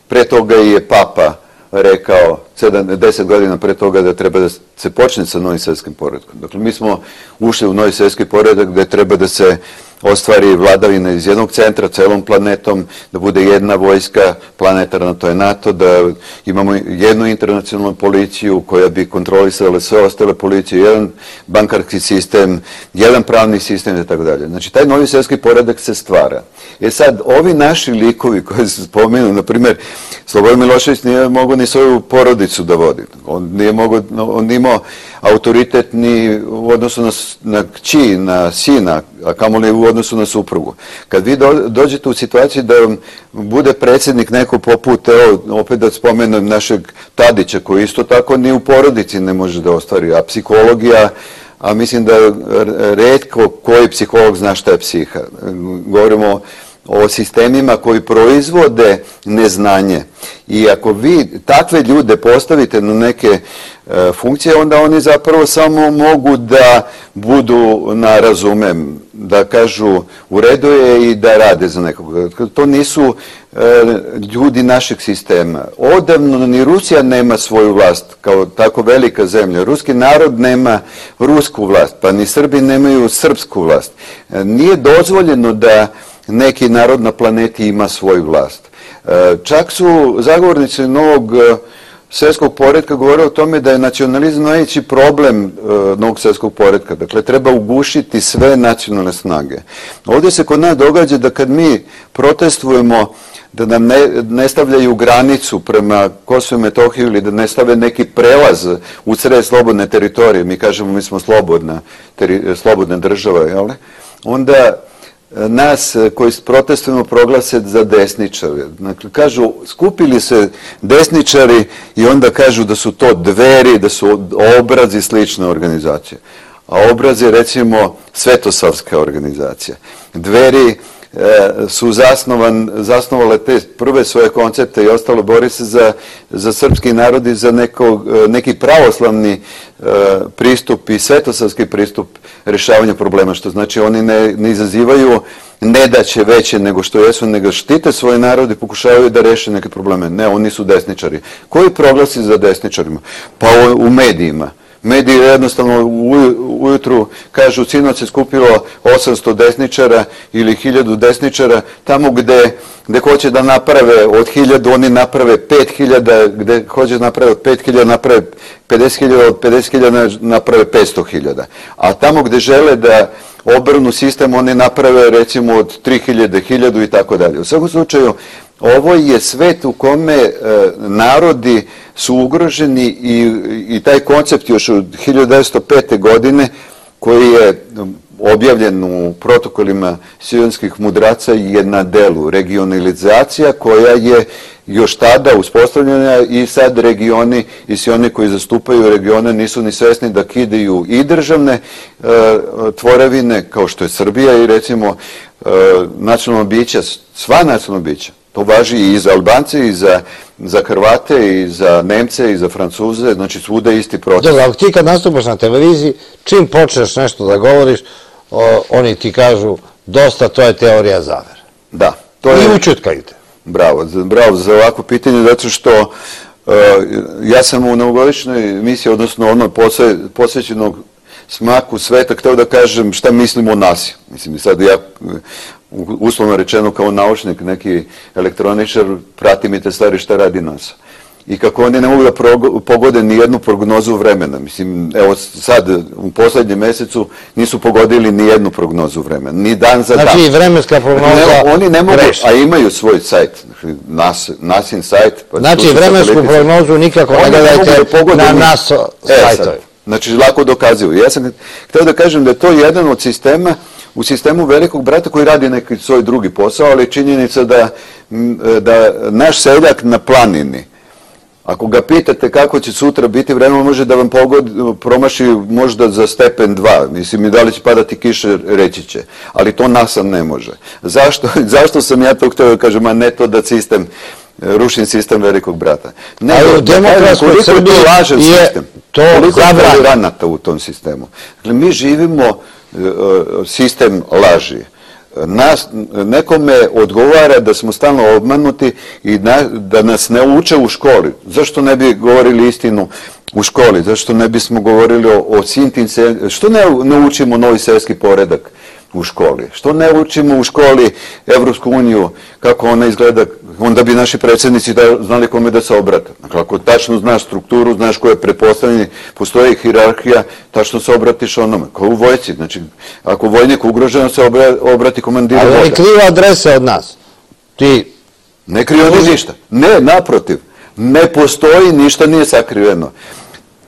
pre toga je Papa rekao, deset godina pre toga, da treba da se počne sa novim svjetskim poredkom. Dakle, mi smo ušli u novi svjetski poredak gde treba da se ostvari vladavina iz jednog centra, celom planetom, da bude jedna vojska planetarna, to je NATO, da imamo jednu internacionalnu policiju koja bi kontrolisala sve ostale policije, jedan bankarski sistem, jedan pravni sistem i tako dalje. Znači, taj novi svjetski poredak se stvara. E sad, ovi naši likovi koji se spomenu, na primjer, Slobodan Milošević nije mogao ni svoju porodicu da vodi. On nije mogao, on nije imao autoritet ni u odnosu na, na kći, na sina, a kamoli u odnosu na suprugu. Kad vi do, dođete u situaciju da bude predsjednik neko poput, evo, opet da spomenem našeg Tadića, koji isto tako ni u porodici ne može da ostvari, a psihologija, a mislim da retko koji psiholog zna šta je psiha. Govorimo o sistemima koji proizvode neznanje. I ako vi takve ljude postavite na neke e, funkcije, onda oni zapravo samo mogu da budu na razumem, da kažu u redu je i da rade za nekog. To nisu e, ljudi našeg sistema. Odavno ni Rusija nema svoju vlast kao tako velika zemlja. Ruski narod nema rusku vlast, pa ni Srbi nemaju srpsku vlast. E, nije dozvoljeno da neki narod na planeti ima svoju vlast. Čak su zagovornici novog svjetskog poretka govorili o tome da je nacionalizam najveći problem novog svjetskog poretka. Dakle, treba ugušiti sve nacionalne snage. Ovdje se kod nas događa da kad mi protestujemo da nam ne, ne stavljaju granicu prema Kosovu i Metohiji ili da ne stave neki prelaz u sred slobodne teritorije, mi kažemo mi smo slobodna, teri, slobodna država, jel? Onda nas koji protestujemo proglase za desničare. Dakle, kažu, skupili se desničari i onda kažu da su to Dveri, da su Obrazi slične organizacije. A Obraz je, recimo, svetosavska organizacija. Dveri su zasnovan, zasnovale te prve svoje koncepte i ostalo, bori se za, za srpski narod i za neko, neki pravoslavni e, pristup i svetosavski pristup rješavanja problema, što znači oni ne, ne izazivaju nedaće veće nego što jesu, nego štite svoj narod i pokušavaju da reše neke probleme. Ne, oni su desničari. Koji proglasi za desničarima? Pa u, u medijima. Mediji jednostavno ujutru kažu sinoć se skupilo osamsto desničara ili hiljadu desničara, tamo gde, gde hoće da naprave od hiljadu, oni naprave pet hiljada, gde hoće da naprave od pet hiljada, naprave pedeset hiljada, od pedeset hiljada naprave petsto hiljada. A tamo gde žele da obrnu sistem, oni naprave recimo od tri hiljade, hiljadu i tako dalje. U svakom slučaju, ovo je svet u kome e, narodi su ugroženi i, i taj koncept još od hiljadu devetsto pete. godine koji je objavljen u protokolima sionskih mudraca je na delu regionalizacija koja je još tada uspostavljena i sad regioni i svi oni koji zastupaju regione nisu ni svesni da kidaju i državne e, tvorevine kao što je Srbija i recimo e, nacionalno bića, sva nacionalna bića. To važi i za Albance, i za, za Hrvate, i za Nemce, i za Francuze, znači svuda isti proces. Dobro, ako ti kad nastupaš na televiziji, čim počneš nešto da govoriš, o, oni ti kažu dosta, to je teorija zavere. Da. To je... I učutkaju te. Bravo, bravo za ovako pitanje, zato što uh, ja sam u novogodišnjoj emisiji, odnosno ono posvećenog smaku sveta, hteo da kažem šta mislim o nasilju. Mislim, sad ja, uslovno rečeno kao naučnik, neki elektroničar, prati mi te stvari šta radi NASA. I kako oni ne mogu da pogode ni jednu prognozu vremena. Mislim, evo sad, u poslednjem mesecu nisu pogodili ni jednu prognozu vremena, ni dan za dan. Znači, vremenska prognoza ne, oni ne mogu, a imaju svoj sajt, nas, nasin sajt. Pa znači, vremensku prognozu nikako ne gledajte na nas sajtove. E, znači, lako dokazuju. Ja sam htio da kažem da je to jedan od sistema, u sistemu velikog brata koji radi neki svoj drugi posao, ali činjenica da, da naš seljak na planini, ako ga pitate kako će sutra biti vreme, može da vam pogodi, promaši možda za stepen dva. Mislim, i da li će padati kiše, reći će. Ali to NASA ne može. Zašto, zašto sam ja to htio da kažem, a ne to da sistem, rušim sistem velikog brata. Ne, ali u demokratskoj Srbiji je to zabranjeno. Koliko je ranata u tom sistemu. Dakle, mi živimo sistem laži. Nas, nekome odgovara da smo stalno obmanuti i na, da nas ne uče u školi. Zašto ne bi govorili istinu u školi? Zašto ne bismo govorili o, o sintim se... Što ne, ne učimo novi seoski poredak u školi? Što ne učimo u školi Evropsku uniju, kako ona izgleda? Onda bi naši predsjednici da, znali kome da se obrate. Dakle, ako tačno znaš strukturu, znaš ko je prepostavljeni, postoji hirarhija, tačno se obratiš onome, kao u vojci. Znači, ako vojnik ugroženo se obrati komandiru voda. Ali oni kriva adrese od nas. Ti... Ne kriva ni ništa. Ne, naprotiv. Ne postoji, ništa nije sakriveno.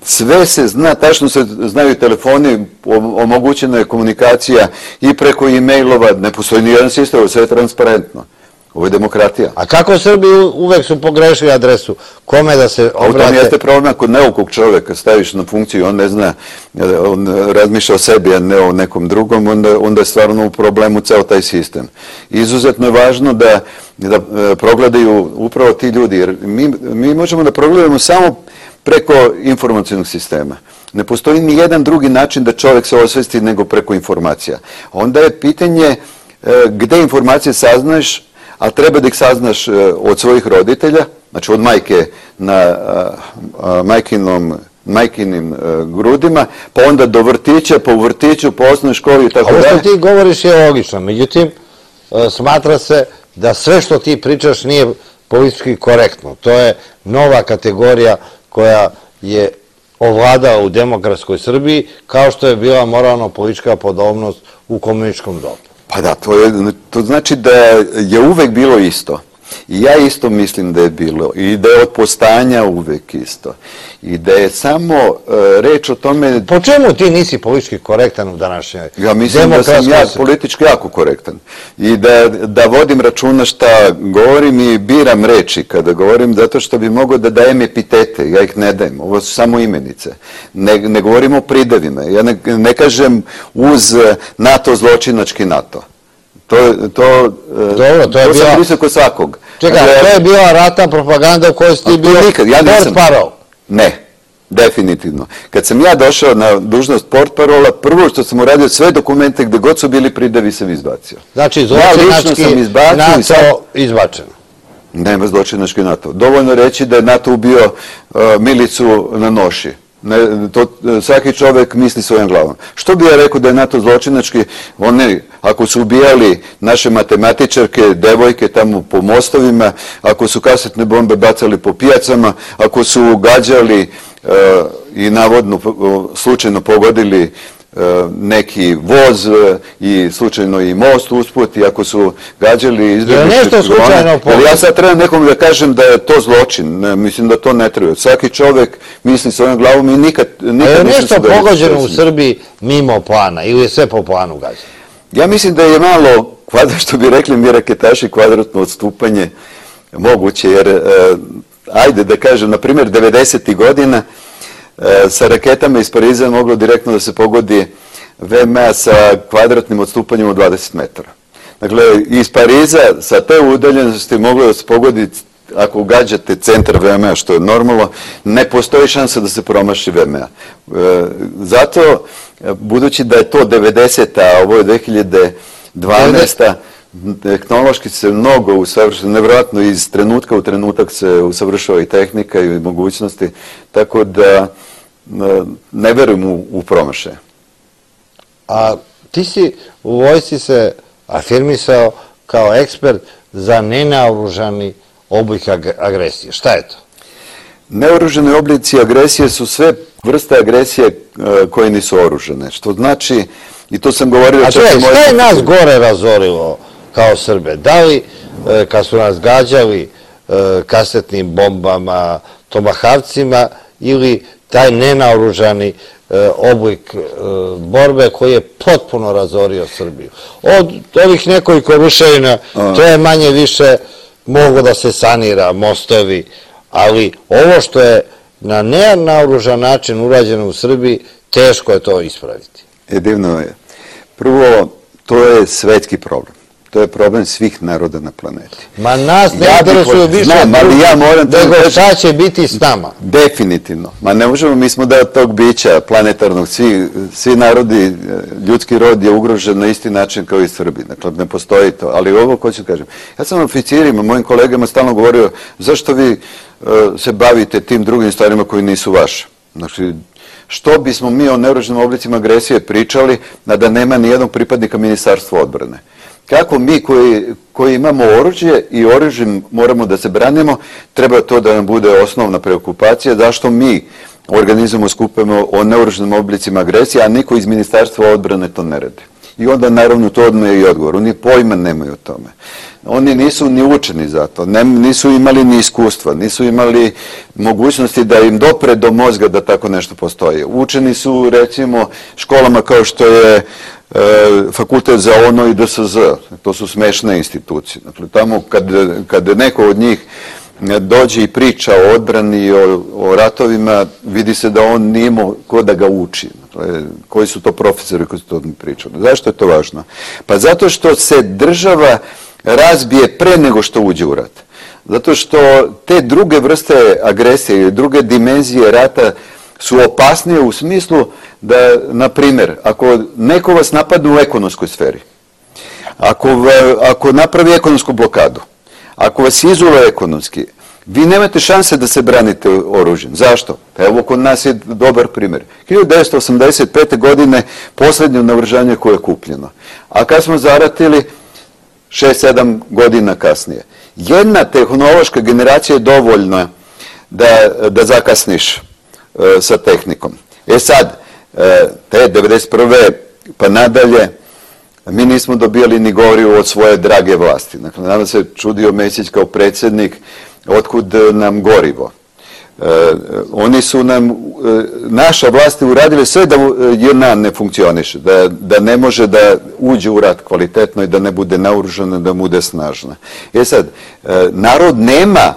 Sve se zna, tačno se znaju telefoni, omogućena je komunikacija i preko e-mailova, ne postoji ni jedan sistem, sve je transparentno. Ovo je demokratija. A kako Srbi uvek su pogrešili adresu? Kome da se obrate? U tom jeste problem kod neukog čoveka, staviš na funkciju, on ne zna, on razmišlja o sebi, a ne o nekom drugom, onda, onda je stvarno u problemu ceo taj sistem. Izuzetno je važno da, da progledaju upravo ti ljudi, jer mi, mi možemo da progledamo samo preko informacijnog sistema. Ne postoji ni jedan drugi način da čovek se osvesti nego preko informacija. Onda je pitanje gde informacije saznaješ, a treba da ih saznaš od svojih roditelja, znači od majke na majkinom, majkinim grudima, pa onda do vrtića, pa u vrtiću, po osnovnoj školi i tako dalje. Ovo što ti govoriš je logično, međutim, smatra se da sve što ti pričaš nije politički korektno. To je nova kategorija koja je ovladala u demokratskoj Srbiji, kao što je bila moralno-politička podobnost u komunističkom dobu. Pa da, to, je, to znači da je uvek bilo isto. I ja isto mislim da je bilo. I da je od postojanja uvek isto. I da je samo uh, reč o tome... Po čemu ti nisi politički korektan u današnjoj demokratskoj? Ja mislim da sam ja politički jako korektan. I da, da vodim računa šta govorim i biram reči kada govorim, zato što bi mogao da dajem epitete. Ja ih ne dajem. Ovo su samo imenice. Ne, ne govorim o pridevima. Ja ne, ne kažem uz NATO zločinački NATO. To, to, Dobro, to je to bila... sam visoko svakog. Čekaj, to je bila ratna propaganda u kojoj si ti bio portparol. Ne, definitivno. Kad sam ja došao na dužnost portparola, prvo što sam uradio, sve dokumente gde god su bili pridevi sam izbacio. Znači, zločinački NATO izbačeno. Nema zločinački NATO. Dovoljno reći da je NATO ubio uh, milicu na Noši. Ne, to, svaki čovek misli svojom glavom. Što bi ja rekao da je NATO zločinački? Oni, ako su ubijali naše matematičarke, devojke tamo po mostovima, ako su kasetne bombe bacali po pijacama, ako su gađali uh, i navodno uh, slučajno pogodili neki voz i slučajno i most usput, i ako su gađali izbjegličke nešto slučajno kolone. Ja sad trebam nekom da kažem da je to zločin. Ne, mislim da to ne treba. Svaki čovek misli svojom glavom i nikad, nikad je nisam nešto se da pogođeno u Srbiji mimo plana ili je sve po planu gađeno? Ja mislim da je malo, što bi rekli mi raketaši, kvadratno odstupanje moguće, jer e, ajde da kažem, na primjer devedesetih godina e, sa raketama iz Pariza je moglo direktno da se pogodi V M A sa kvadratnim odstupanjem od dvadeset metara. Dakle, iz Pariza sa te udaljenosti moglo da se pogodi, ako ugađate centar V M A, što je normalno, ne postoji šansa da se promaši V M A. E, zato, budući da je to devedeseta, a ovo je dve hiljade dvanaesta, tehnološki se mnogo usavršava, nevjerojatno iz trenutka u trenutak se usavršava i tehnika i mogućnosti, tako da ne verujem u, u promašaje. A ti si u vojsci se afirmisao kao ekspert za nenaoružani oblik agresije. Šta je to? Neoružani oblici agresije su sve vrste agresije koje nisu oružane, što znači, i to sam govorio... A čovjek, šta je nas gore razorilo kao Srbe? Da li, kad su nas gađali kasetnim bombama, tomahavcima, ili taj nenaoružani oblik borbe koji je potpuno razorio Srbiju? Od ovih nekoliko ruševina, to je manje više moglo da se sanira, mostovi, ali ovo što je na nenaoružan način urađeno u Srbiji, teško je to ispraviti. E, divno je. Prvo, to je svetski problem. To je problem svih naroda na planeti. Ma nas ne interesuju više nego šta će biti s nama. Definitivno. Ma ne možemo, mi smo da tog bića planetarnog, svi narodi, ljudski rod je ugrožen na isti način kao i Srbi. Dakle, ne postoji to. Ali ovo, ko ću kažem, ja sam oficirima, mojim kolegama stalno govorio, zašto vi se bavite tim drugim stvarima koji nisu vaše? Znači, što bismo mi o neoružanim oblicima agresije pričali da nema nijednog pripadnika Ministarstva odbrane? Kako mi koji, koji imamo oružje i oružjem moramo da se branimo, treba to da nam bude osnovna preokupacija, zašto mi organizujemo skupimo o neoružanim oblicima agresije, a niko iz Ministarstva odbrane to ne radi. I onda naravno to odme i odgovor. Oni pojma nemaju o tome. Oni nisu ni učeni za to, nisu imali ni iskustva, nisu imali mogućnosti da im dopre do mozga da tako nešto postoji. Učeni su, recimo, školama kao što je Fakultet za ono i D S Z. To su smešne institucije. Dakle, tamo kad neko od njih dođe i priča o odbrani i o ratovima, vidi se da on nije imao ko da ga uči. Koji su to profesori koji su to pričali? Zašto je to važno? Pa zato što se država razbije pre nego što uđe u rat. Zato što te druge vrste agresije i druge dimenzije rata su opasnije u smislu da, na primjer, ako neko vas napadne u ekonomskoj sferi, ako, ako napravi ekonomsku blokadu, ako vas izule ekonomski, vi nemate šanse da se branite oružjem. Zašto? Pa evo, kod nas je dobar primjer. hiljadu devetsto osamdeset pete. godine poslednje naoružanje koje je kupljeno. A kad smo zaratili, šest sedam godina kasnije. Jedna tehnološka generacija je dovoljna da, da zakasniš sa tehnikom. E sad, te devedeset prve pa nadalje, mi nismo dobijali ni gorivo od svoje drage vlasti. Dakle, nama se čudio Mesić kao predsjednik, otkud nam gorivo. Oni su nam, naša vlast je uradili sve da J N A ne funkcioniše, da, da ne može da uđe u rat kvalitetno i da ne bude naoružana, da bude snažna. E sad, narod nema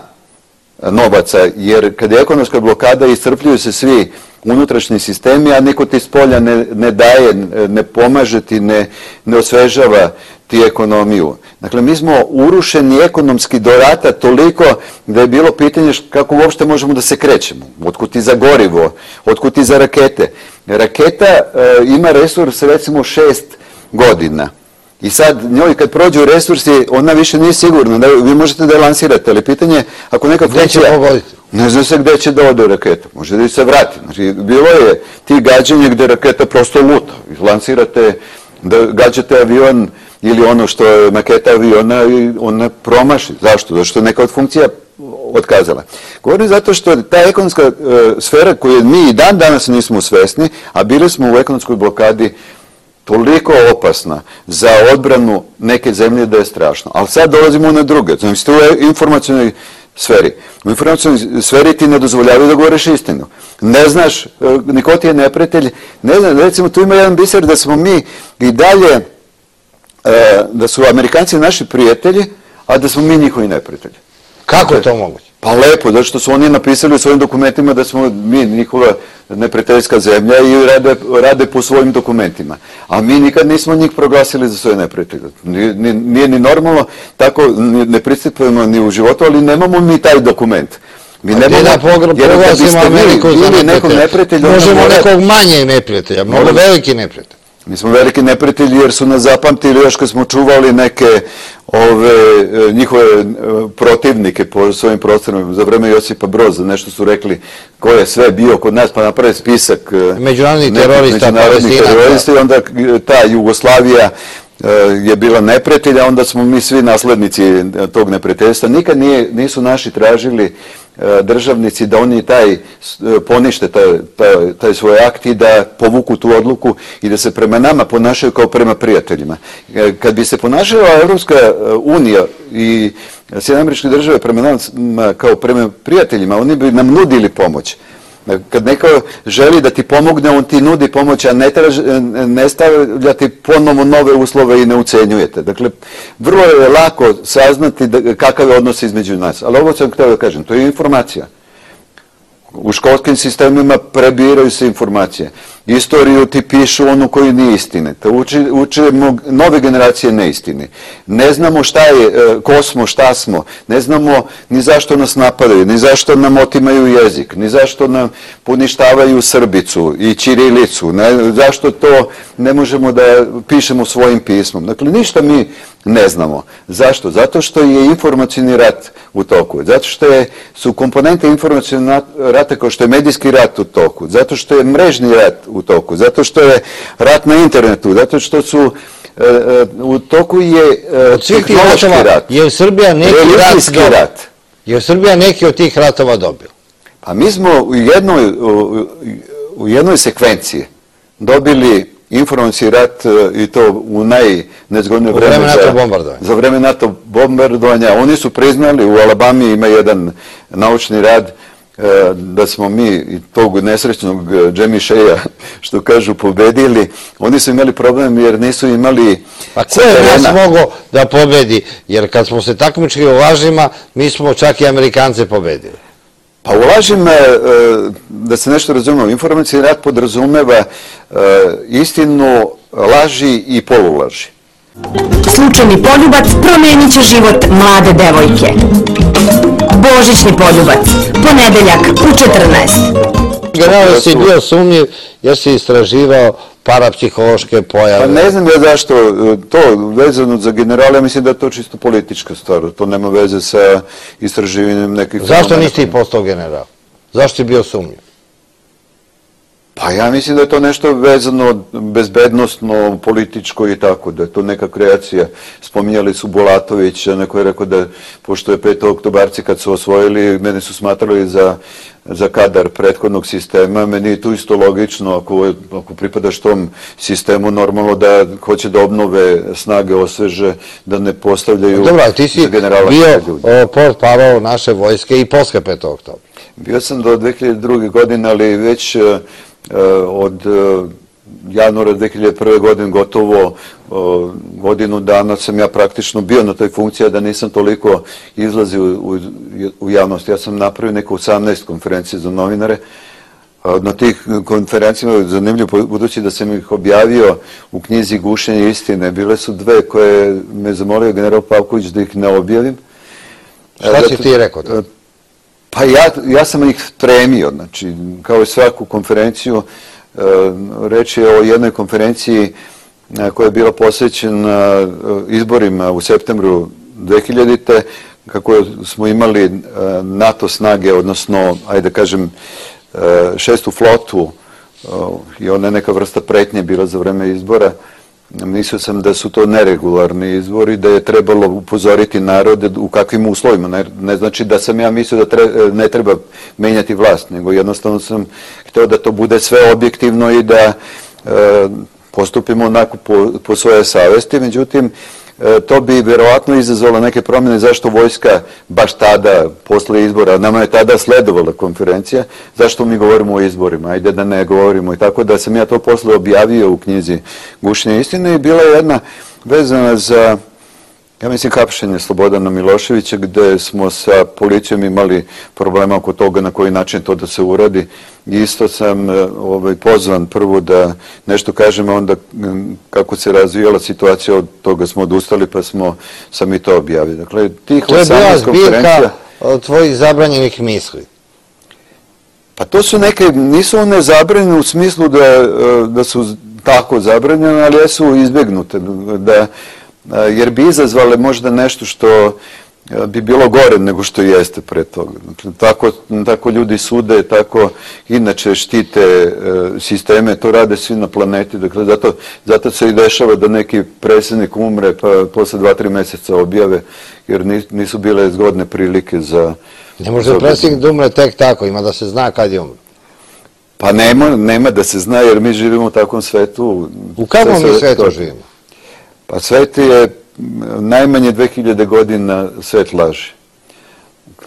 novaca, jer kad je ekonomska blokada iscrpljuju se svi unutrašnji sistemi, a niko ti s polja ne, ne daje, ne pomaže ti, ne, ne osvežava ti ekonomiju. Dakle, mi smo urušeni ekonomski do rata toliko da je bilo pitanje kako uopšte možemo da se krećemo. Otkud ti za gorivo, otkud ti za rakete. Raketa e, ima resurs recimo šest godina. I sad njoj kad prođu resursi, ona više nije sigurna. Da, vi možete da je lansirate, ali pitanje je ako neka funkcija... Ne zna se gde će da ode raketa. Može da se vrati. Znači, bilo je ti gađanje gde raketa prosto luta. Lansirate, da gađate avion ili ono što je maketa aviona i ona promaši. Zašto? Zato što neka od funkcija otkazala. Govorim zato što ta ekonomska sfera koju mi i dan danas nismo svesni, a bili smo u ekonomskoj blokadi, toliko opasna za odbranu neke zemlje da je strašno. Ali sad dolazimo na druge. Znači, u informacionoj sferi. U informacionoj sferi ti ne dozvoljavaju da govoriš istinu. Ne znaš, niko ti je neprijatelj. Ne znam, recimo, tu ima jedan biser da smo mi i dalje, da su Amerikanci naši prijatelji, a da smo mi njihovi neprijatelji. Kako je to moguće? Pa lepo, zato što su oni napisali u svojim dokumentima da smo mi njihova neprijateljska zemlja i rade, rade po svojim dokumentima. A mi nikad nismo njih proglasili za svoje neprijatelje. Nije, nije ni normalno, tako ne pristupujemo ni u životu, ali nemamo mi taj dokument. Mi nemamo, da proglasimo Ameriku za neprijatelja. Možemo nekog manje neprijatelja, mnogo veliki neprijatelj. Mi smo veliki neprijatelji jer su nas zapamtili još kad smo čuvali neke ove, njihove protivnike po svojim prostorima. Za vreme Josipa Broza nešto su rekli ko je sve bio kod nas, pa napravi spisak međunarodnih terorista, terorista i onda ta Jugoslavija je bila neprijatelja, onda smo mi svi naslednici tog neprijateljstva. Nikad nije, nisu naši tražili državnici da oni taj ponište taj, taj, taj svoj akt i da povuku tu odluku i da se prema nama ponašaju kao prema prijateljima. Kad bi se ponašala Evropska unija i Sjedinjene Američke Države prema nama kao prema prijateljima, oni bi nam nudili pomoć. Kad neko želi da ti pomogne, on ti nudi pomoć, a ne, traž, ne stavlja ti ponovno nove uslove i ne ucenjujete. Dakle, vrlo je lako saznati da, kakav je odnos između nas. Ali ovo sam htio da kažem, to je informacija. U školskim sistemima prebiraju se informacije. Istoriju ti pišu onu koju nije istine. To uči, učimo nove generacije neistine. Ne znamo šta je, ko smo, šta smo. Ne znamo ni zašto nas napadaju, ni zašto nam otimaju jezik, ni zašto nam poništavaju srbicu i ćirilicu. Ne, zašto to ne možemo da pišemo svojim pismom. Dakle, ništa mi ne znamo. Zašto? Zato što je informacijni rat u toku. Zato što je, su komponente informacijnog rata kao što je medijski rat u toku. Zato što je mrežni rat u toku. Zato što je rat na internetu. Zato što su e, u toku je e, tehnološki rat. Je Srbija neki rat, rat. Je Srbija neki od tih ratova dobila? Pa mi smo u jednoj, u, u jednoj sekvenciji dobili informacijski rat i to u najnezgodnije vreme, vreme NATO bombardovanja. Za vreme NATO bombardovanja. Oni su priznali, u Alabami ima jedan naučni rad da smo mi i tog nesrećnog Jamie Shea, što kažu, pobedili. Oni su imali problem jer nisu imali... Pa ko je nas mogao da pobedi? Jer kad smo se takmičili u lažima, mi smo čak i Amerikance pobedili. Pa u lažima, da se nešto razumemo, informacijni rat podrazumeva istinu, laži i polulaži. Slučajni poljubac promenit će život mlade devojke. Božićni poljubac, ponedeljak u četrnaest. Generalno si bio sumnjiv jer si istraživao parapsihološke pojave. Pa ne znam ja zašto to vezano za generala, mislim da je to čisto politička stvar. To nema veze sa istraživanjem nekih... Zašto nisi ti postao general? Zašto si bio sumnjiv? Pa ja mislim da je to nešto vezano bezbednostno, političko i tako, da je to neka kreacija. Spominjali su Bulatovića, neko je rekao da, pošto je petooktobarci kad su osvojili, mene su smatrali za, za kadar prethodnog sistema, meni je tu isto logično, ako, ako pripadaš tom sistemu, normalno da hoće da obnove snage, osveže, da ne postavljaju... Dobro, ti si bio portparol naše vojske i posle petog oktobra. Bio sam do dve hiljade druge. godine, ali već od januara dve hiljade prve. godine gotovo godinu dana sam ja praktično bio na toj funkciji, da nisam toliko izlazio u, u javnost. Ja sam napravio neko osamnaest konferencije za novinare. Na tih konferencijama, zanimljivo, budući da sam ih objavio u knjizi Gušenje istine, bile su dve koje me zamolio general Pavković da ih ne objavim. Šta si ti rekao? Pa ja, ja sam ih spremio, znači, kao i svaku konferenciju, reč je o jednoj konferenciji koja je bila posvećena izborima u septembru dve hiljadite. kako smo imali NATO snage, odnosno, ajde da kažem, šestu flotu, i ona je neka vrsta pretnje bila za vreme izbora, mislio sam da su to neregularni izbori, da je trebalo upozoriti narode u kakvim uslovima. Ne, ne znači da sam ja mislio da tre, ne treba menjati vlast, nego jednostavno sam hteo da to bude sve objektivno i da e, postupimo onako po, po svoje savesti. Međutim, e, to bi verovatno izazvalo neke promjene zašto vojska baš tada, posle izbora, nama je tada sledovala konferencija, zašto mi govorimo o izborima, ajde da ne govorimo. I tako da sam ja to posle objavio u knjizi Gušenje istine i bila je jedna vezana za, ja mislim, hapšenje Slobodana Miloševića, gde smo sa policijom imali problema oko toga na koji način to da se uradi. I isto sam ovaj, pozvan prvo da nešto kažem, a onda kako se razvijala situacija, od toga smo odustali, pa smo sam i to objavili. Dakle, tih to je bila zbirka od tvojih zabranjenih misli. Pa to su neke, nisu one zabranjene u smislu da, da su tako zabranjene, ali jesu izbjegnute, da jer bi izazvale možda nešto što bi bilo gore nego što jeste pre toga. Dakle, tako, tako ljudi sude, tako inače štite e, sisteme, to rade svi na planeti. Dakle, zato, zato se i dešava da neki predsjednik umre pa posle dva, tri mjeseca objave, jer nisu bile zgodne prilike za... Ne može predsjednik da umre tek tako, ima da se zna kad je umre. Pa nema, nema da se zna, jer mi živimo u takvom svetu. U kakvom mi svetu živimo? Pa svet je najmanje dve hiljade godina svet laži.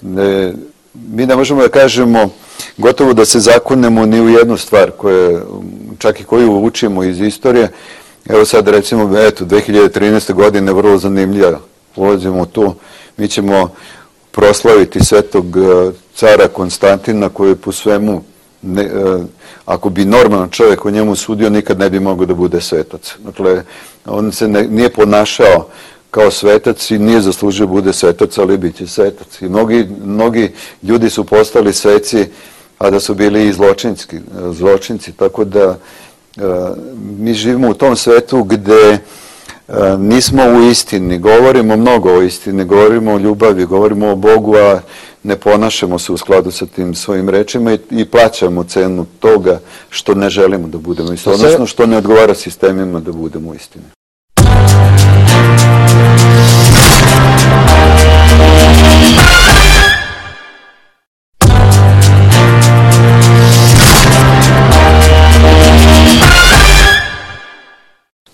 Ne, mi ne možemo da kažemo gotovo da se zakunemo ni u jednu stvar, koje, čak i koju učimo iz istorije. Evo sad recimo, eto, dve hiljade trinaeste. godine vrlo zanimljiva. Ulazimo tu, mi ćemo proslaviti svetog cara Konstantina koji po svemu, ne, ako bi normalan čovjek o njemu sudio, nikad ne bi mogao da bude svetac. Dakle, on se ne, nije ponašao kao svetac i nije zaslužio bude svetac, ali bit će svetac. I mnogi, mnogi ljudi su postali sveci, a da su bili i zločinski, zločinci. Tako da mi živimo u tom svetu gde nismo u istini, govorimo mnogo o istini, govorimo o ljubavi, govorimo o Bogu, a ne ponašamo se u skladu sa tim svojim rečima i, i plaćamo cenu toga što ne želimo da budemo istini, odnosno što ne odgovara sistemima da budemo istini.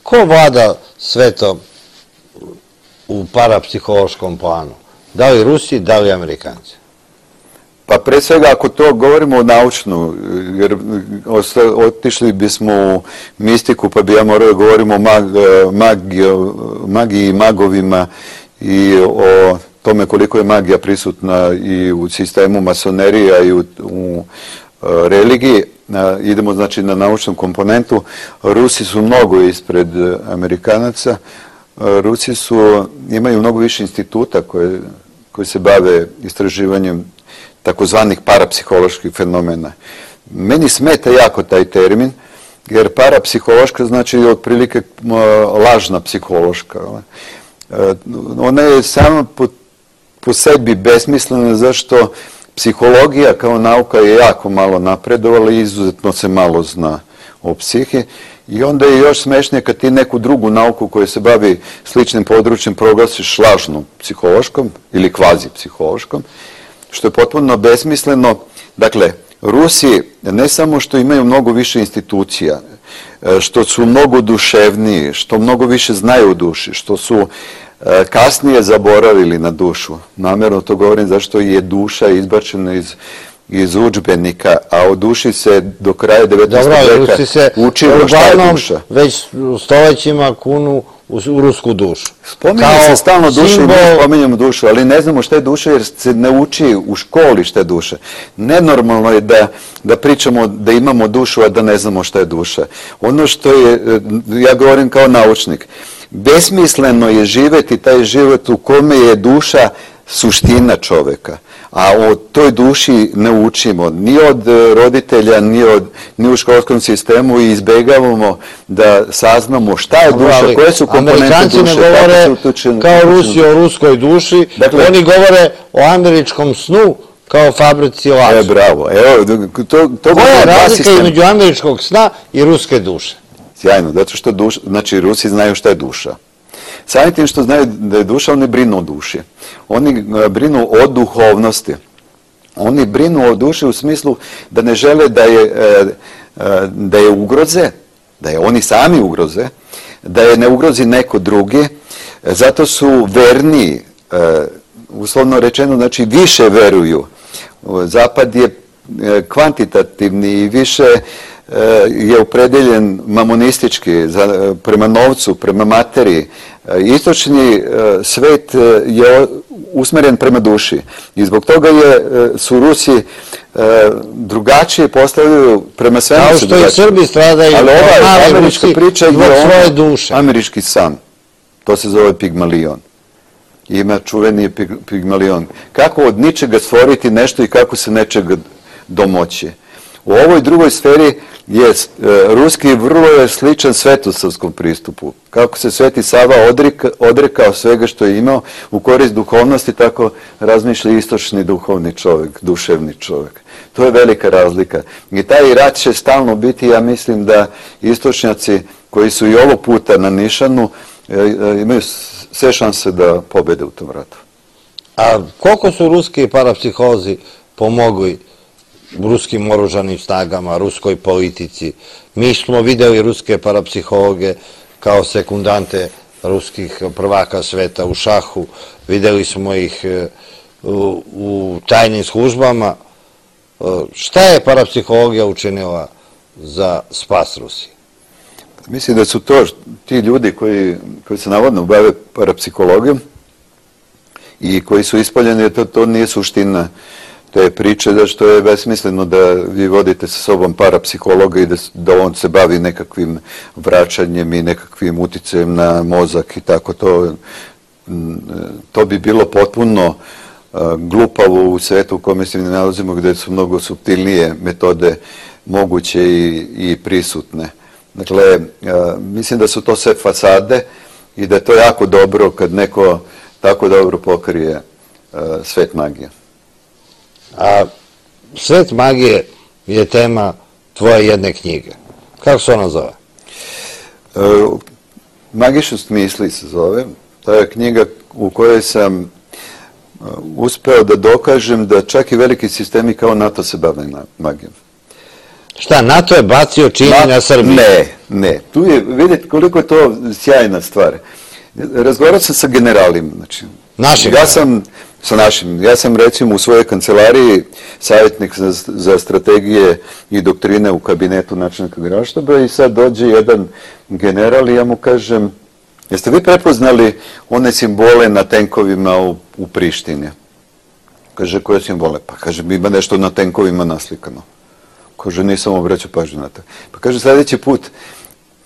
Ko vlada svetom u parapsihološkom planu? Da li Rusi, da li Amerikanci? Pa pre svega ako to govorimo o naučnu, jer otišli bismo u mistiku pa bi ja morao da govorimo o mag, magiji, magiji i magovima i o tome koliko je magija prisutna i u sistemu masonerija i u, u religiji. Idemo znači na naučnu komponentu. Rusi su mnogo ispred Amerikanaca. Rusi su, imaju mnogo više instituta koje, koji se bave istraživanjem takozvanih parapsiholoških fenomena. Meni smeta jako taj termin, jer parapsihološka znači otprilike lažna psihološka. Ona je sama po, po sebi besmislena, zašto psihologija kao nauka je jako malo napredovala i izuzetno se malo zna o psihi. I onda je još smešnije kad ti neku drugu nauku koja se bavi sličnim područjem proglasiš lažnom psihološkom ili kvazi psihološkom, što je potpuno besmisleno. Dakle, Rusi ne samo što imaju mnogo više institucija, što su mnogo duševniji, što mnogo više znaju o duši, što su kasnije zaboravili na dušu. Namjerno to govorim zašto je duša izbačena iz, iz udžbenika, a o duši se do kraja devetnaestog veka učilo šta je duša. Već stolećima kunu u rusku dušu. Spominje se stalno dušu i mi spominjamo dušu, ali ne znamo šta je duša jer se ne uči u školi šta je duša. Nenormalno je da, da pričamo da imamo dušu, a da ne znamo šta je duša. Ono što je, ja govorim kao naučnik, besmisleno je živeti taj život u kome je duša suština čoveka, a o toj duši ne učimo ni od roditelja, ni, od, ni u školskom sistemu i izbegavamo da saznamo šta je duša, koje su komponente duše. Amerikanci ne govore kao Rusi o ruskoj duši, dakle, oni govore o američkom snu kao fabrici laži. E, bravo. Evo, to, to koja je razlika između američkog sna i ruske duše? Sjajno, zato što duša, znači Rusi znaju šta je duša. Samim tim što znaju da je duša, oni brinu o duši. Oni brinu o duhovnosti. Oni brinu o duši u smislu da ne žele da je, da je ugroze, da je oni sami ugroze, da je ne ugrozi neko drugi, zato su verniji, uslovno rečeno, znači više veruju. Zapad je kvantitativni i više je opredeljen mamonistički, prema novcu, prema materiji. Istočni svet je usmeren prema duši i zbog toga je, su Rusi drugačije postavljaju prema svemu. Kao što i Srbi stradaju, ali ova američka priča je svoje duše. Američki san. To se zove Pigmalion. Ima čuveni Pigmalion. Kako od ničega stvoriti nešto i kako se nečega domoći. U ovoj drugoj sferi je ruski vrlo je sličan svetosavskom pristupu. Kako se Sveti Sava odreka, odrekao svega što je imao u korist duhovnosti, tako razmišlja istočni duhovni čovjek, duševni čovjek. To je velika razlika. I taj rat će stalno biti, ja mislim da istočnjaci koji su i ovog puta na nišanu imaju sve šanse da pobede u tom ratu. A koliko su ruski parapsihozi pomogli ruskim oružanim snagama, ruskoj politici? Mi smo videli ruske parapsihologe kao sekundante ruskih prvaka sveta u šahu, videli smo ih u, u tajnim službama. Šta je parapsihologija učinila za spas Rusije? Mislim da su to ti ljudi koji, koji se navodno bave parapsihologijom i koji su ispaljeni, to, to nije suština te priče, da što je besmisleno da vi vodite sa sobom parapsihologa i da, da on se bavi nekakvim vraćanjem i nekakvim uticajem na mozak i tako to. To bi bilo potpuno glupavo u svetu u kome se nalazimo, gde su mnogo suptilnije metode moguće i, i prisutne. Dakle, mislim da su to sve fasade i da je to jako dobro kad neko tako dobro pokrije svet magije. A svet magije je tema tvoje jedne knjige. Kako se ona zove? Magičnost misli se zove. To je knjiga u kojoj sam uspeo da dokažem da čak i veliki sistemi kao NATO se bave magijom. Šta, NATO je bacio čini na Srbiju? Ne, ne. Tu je, vidite koliko je to sjajna stvar. Razgovarao sam sa generalima. Znači, našim? Ja sam, sa našim. Ja sam recimo u svojoj kancelariji savjetnik za, za strategije i doktrine u kabinetu načelnika Generalštaba i sad dođe jedan general i ja mu kažem, jeste vi prepoznali one simbole na tenkovima u, u Prištini? Kaže, koje simbole? Pa kaže, ima nešto na tenkovima naslikano. Kaže, nisam obraćao pažnju na to. Pa kaže, sljedeći put,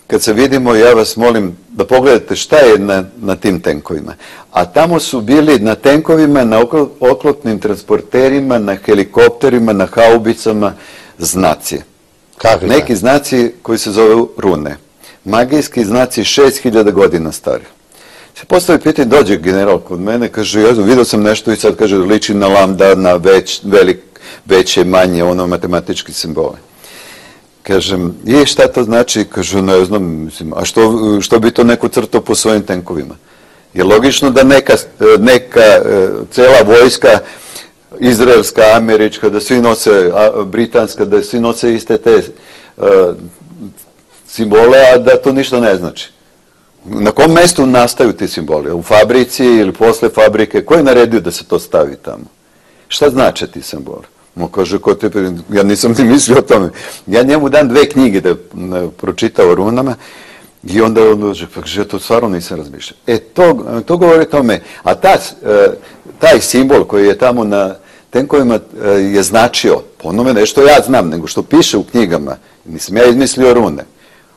kad se vidimo, ja vas molim da pogledate šta je na, na tim tenkovima. A tamo su bili na tenkovima, na oklopnim transporterima, na helikopterima, na haubicama, znaci. Kakvi Neki znaci koji se zove rune. Magijski znaci šest hiljada godina stari. Se postavi pitanje, dođe general kod mene, kaže, ja vidio sam nešto i sad kaže, liči na lambda, na već, velik, veće, manje, ono, matematički simbole. Kažem, i šta to znači? Kažu, ne znam, mislim, a što, što bi to neko crtao po svojim tenkovima? Je logično da neka, neka cela vojska, izraelska, američka, da svi nose, britanska, da svi nose iste te uh, simbole, a da to ništa ne znači. Na kom mestu nastaju ti simboli? U fabrici ili posle fabrike? Ko je naredio da se to stavi tamo? Šta znače ti simboli? Mo kaže, ko te, ja nisam ni mislio o tome. Ja njemu dam dve knjige da pročita o runama i onda on dođe, pa kaže, ja to stvarno nisam razmišljao. E, to, to govori o tome. A ta, taj simbol koji je tamo na tenkovima je značio, po onome ne što ja znam, nego što piše u knjigama, nisam ja izmislio rune,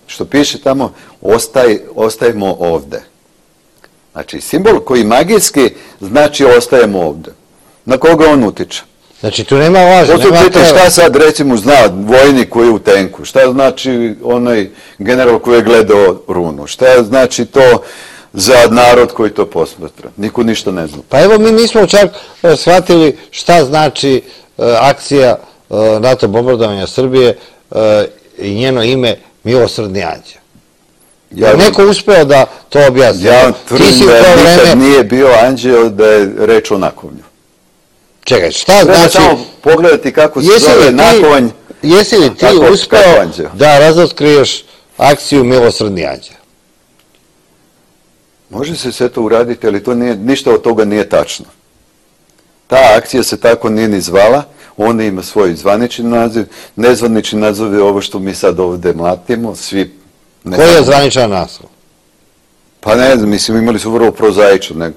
što piše tamo, ostaj, ostajemo ovde. Znači, simbol koji magijski znači ostajemo ovde. Na koga on utiče? Znači, tu nema laža, nema tela. Šta sad, recimo, zna vojnik koji je u tenku? Šta znači onaj general koji je gledao runu? Šta znači to za narod koji to posmatra? Niko ništa ne zna. Pa evo, mi nismo čak shvatili šta znači akcija NATO bombardovanja Srbije i njeno ime Milosrdni anđeo. Je neko uspeo da to objasni? Ja tvrdim da nikad nije bio anđeo da je reč o nakovanju. Čekaj, šta Treba znači... samo pogledati kako se zove nakovanj. Jesi li ti uspeo da razotkriješ akciju Milosrdni anđeo? Može se sve to uraditi, ali to nije, ništa od toga nije tačno. Ta akcija se tako nije ni zvala, ona ima svoj zvanični naziv, nezvanični naziv je ovo što mi sad ovde mlatimo, svi... Koji je zvaničan naslov? Pa ne znam, mislim, imali su vrlo prozaično.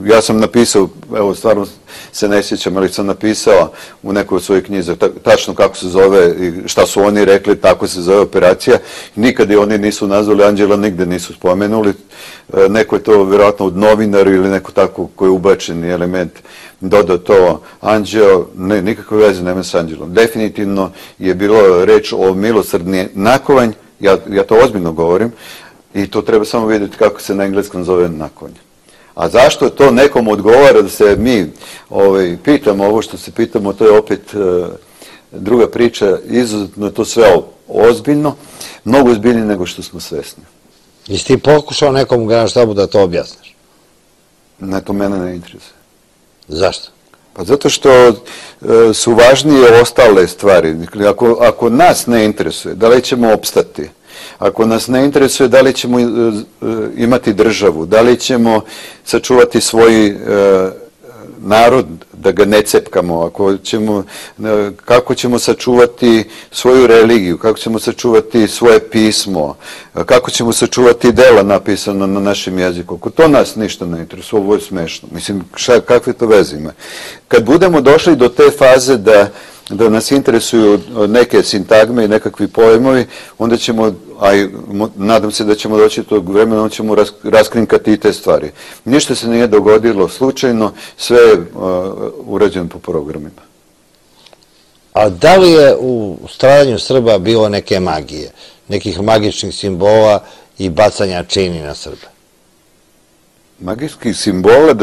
Ja sam napisao, evo, stvarno se ne sjećam, ali sam napisao u nekoj od svojih knjiza tačno kako se zove i šta su oni rekli, tako se zove operacija. Nikad je oni nisu nazvali anđela, nigde nisu spomenuli. Neko je to vjerojatno od novinaru ili neko tako koji je ubačeni element dodao to anđeo, ne, nikakve veze nema s anđelom. Definitivno je bilo reč o milosrdni nakovanj, ja, ja to ozbiljno govorim, i to treba samo vidjeti kako se na engleskom zove nakovanj. A zašto to nekom odgovara da se mi ovaj, pitamo ovo što se pitamo, to je opet uh, druga priča, izuzetno je to sve ozbiljno, mnogo ozbiljnije nego što smo svesni. Jesi ti pokušao nekom u Generalštabu da to objasniš? Ne, to mene ne interesuje. Zašto? Pa zato što uh, su važnije ostale stvari. Ako, ako nas ne interesuje, da li ćemo opstati? Ako nas ne interesuje, da li ćemo imati državu, da li ćemo sačuvati svoj narod, da ga ne cepkamo, ako ćemo, kako ćemo sačuvati svoju religiju, kako ćemo sačuvati svoje pismo, kako ćemo sačuvati dela napisano na našem jeziku. Ako to nas ništa ne interesuje, ovo je smešno. Mislim, šta, kakve to veze ima? Kad budemo došli do te faze da da nas interesuju neke sintagme i nekakvi pojmovi, onda ćemo, a nadam se da ćemo doći tog vremena, onda ćemo raskrinkati i te stvari. Ništa se nije dogodilo slučajno, sve je urađeno po programima. A da li je u stradanju Srba bilo neke magije, nekih magičnih simbola i bacanja čini na Srbe? Magijskih simbola,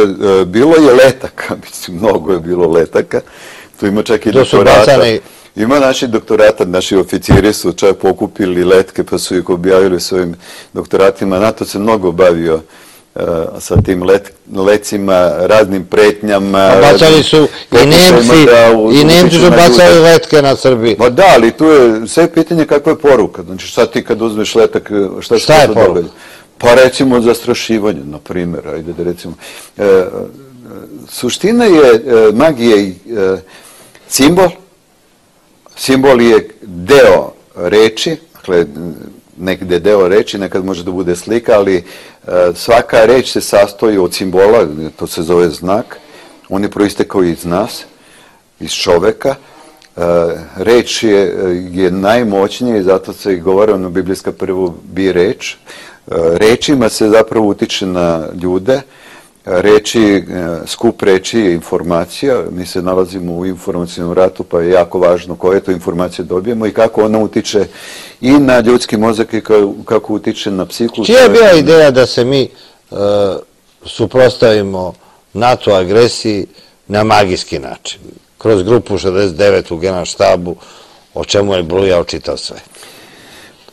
bilo je letaka, mislim, mnogo je bilo letaka. Tu ima čak i doktorata. Ima naši doktorata, naši oficiri su čak pokupili letke pa su ih objavili svojim doktoratima. NATO se mnogo bavio sa tim lecima, raznim pretnjama. Bacali su i Nemci, i Nemci su bacali letke na Srbiji. Ma da, ali tu je sve pitanje kakva je poruka. Znači šta ti kad uzmeš letak, šta se to događa? Pa recimo zastrašivanje, na primjer, ajde da recimo. Suština je magije simbol, simbol je deo reči, dakle negde deo reči, nekad može da bude slika, ali svaka reč se sastoji od simbola, to se zove znak, on je proistekao iz nas, iz čoveka, reč je, je najmoćnija i zato se i govori, ono biblijska prvo bi reč, rečima se zapravo utiče na ljude, reči, skup reči je informacija, mi se nalazimo u informacijnom ratu pa je jako važno koje to informacije dobijemo i kako ona utiče i na ljudski mozak i kako utiče na psihu. Čija je bila ideja da se mi suprotstavimo NATO agresiji na magijski način, kroz grupu šezdeset devet u Generalštabu, o čemu je brujao čitav sve?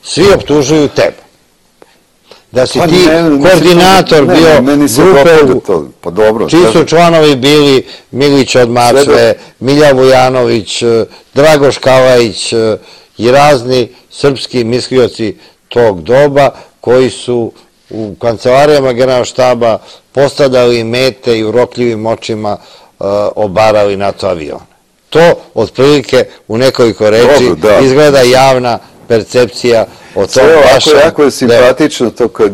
Svi optužuju tebe. Da si ti koordinator bio grupe, čiji su članovi bili Milić od Mačve, Milja Vujanović, Dragoš Kalajić i razni srpski mislioci tog doba koji su u kancelarijama Generalštaba postavljali mete i urokljivim očima obarali NATO avione. To otprilike u nekoliko reči izgleda javna percepcija o tom vašem... Jako je simpatično to kad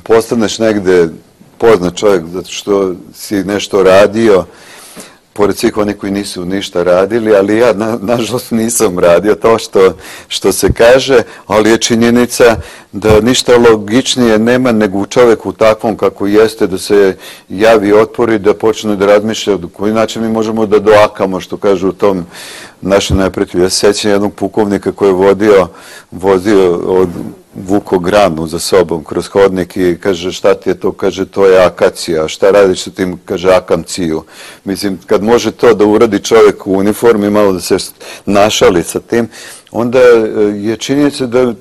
postaneš negde poznat čovjek zato što si nešto radio, pored svih onih koji nisu ništa radili, ali ja nažalost nisam radio to što se kaže, ali je činjenica da ništa logičnije nema nego u čovjeku takvom kako jeste, da se javi otpor i da počne da razmišlja od koji način mi možemo da doakamo, što kažu u tom našem neprijatelju. Ja se sjećam jednog pukovnika koji je vodio, vozio od vuko granu za sobom kroz hodnik i kaže šta ti je to, kaže to je akacija, šta radiš sa tim, kaže akanciju. Mislim, kad može to da uradi čovjek u uniformi, malo da se našali sa tim, onda je činjenica da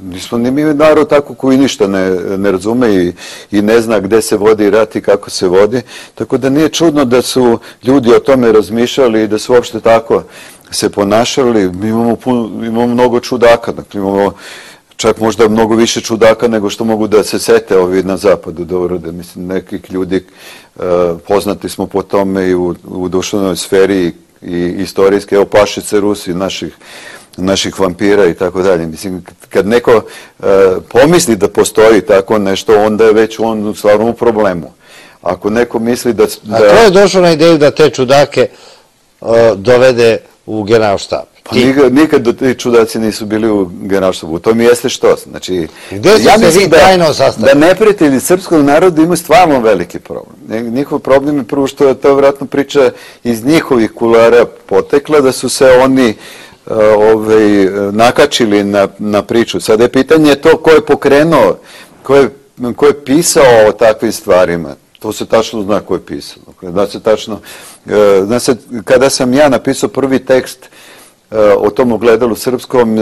nismo ni mi narod tako koji ništa ne, ne razume i, i ne zna gde se vodi rat i kako se vodi, tako da nije čudno da su ljudi o tome razmišljali i da su uopšte tako se ponašali. Mi imamo, puno, imamo mnogo čudaka, dakle imamo čak možda mnogo više čudaka nego što mogu da se sete ovi na zapadu da urode. Mislim, nekih ljudi uh, poznati smo po tome i u, u duševnoj sferi i, i istorijske, evo Pašice Rusi, naših naših vampira i tako dalje. Mislim, kad neko uh, pomisli da postoji tako nešto, onda je već on u stvarnom problemu. Ako neko misli da... da... A ko je došao na ideju da te čudake uh, dovede u generalštab? Pa nikad, nikad do ti čudaci nisu bili u generalštabu. To mi jeste što. Znači, gde su ja se vi tajno da, sastavili? da neprijatelji srpskog naroda imaju stvarno veliki problem. Njihov problem je prvo što je to vjerojatno priča iz njihovih kulara potekla, da su se oni Ovaj, nakačili na, na priču. Sada je pitanje to ko je pokrenuo, ko je, ko je pisao o takvim stvarima. To se tačno zna ko je pisao. Da se tačno, zna se, kada sam ja napisao prvi tekst o tom ogledalu srpskom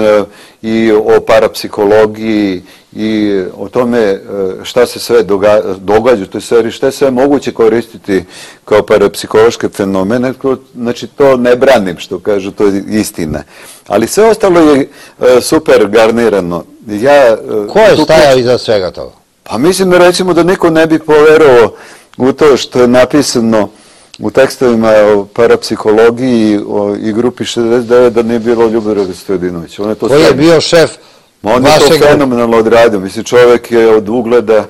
i o parapsihologiji i o tome šta se sve događa u toj sferi, šta je sve moguće koristiti kao parapsihološke fenomene, znači to ne branim što kažu, to je istina. Ali sve ostalo je super garnirano. Ja, ko je stajao iza svega toga? Pa mislim da recimo da niko ne bi poverovao u to što je napisano u tekstovima o parapsihologiji i grupi šezdeset devet da nije bilo Ljubodraga Stojadinovića. Koji je bio šef vašeg... On je to fenomenalno odradio. Mislim, čovjek je od ugleda,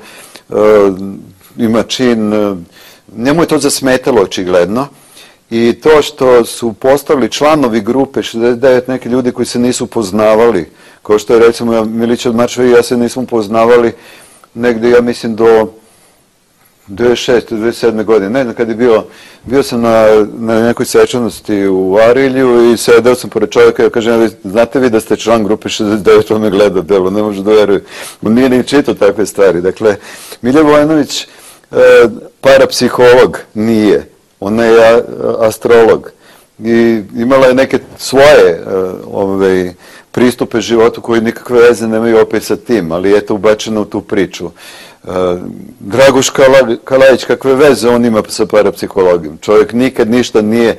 ima čin, njemu je to zasmetalo očigledno. I to što su postali članovi grupe šezdeset devet neki ljudi koji se nisu poznavali, kao što je recimo Milića Odmarčeva i ja se nismo poznavali negde, ja mislim, do devedeset šeste, devedeset sedme godine. Ne znam, kad je bio, bio sam na, na nekoj svečanosti u Arilju i sedeo sam pored čovjeka i kažem, znate vi da ste član grupe šezdeset devet, on me gleda delo, ne može da veruje. On nije ni čitao takve stvari. Dakle, Milja Vojinović, e, parapsiholog nije, ona je astrolog i imala je neke svoje ove, pristupe životu koji nikakve veze nemaju opet sa tim, ali je to ubačeno u tu priču. Draguš Kalajić, kakve veze on ima sa parapsihologijom? Čovjek nikad ništa nije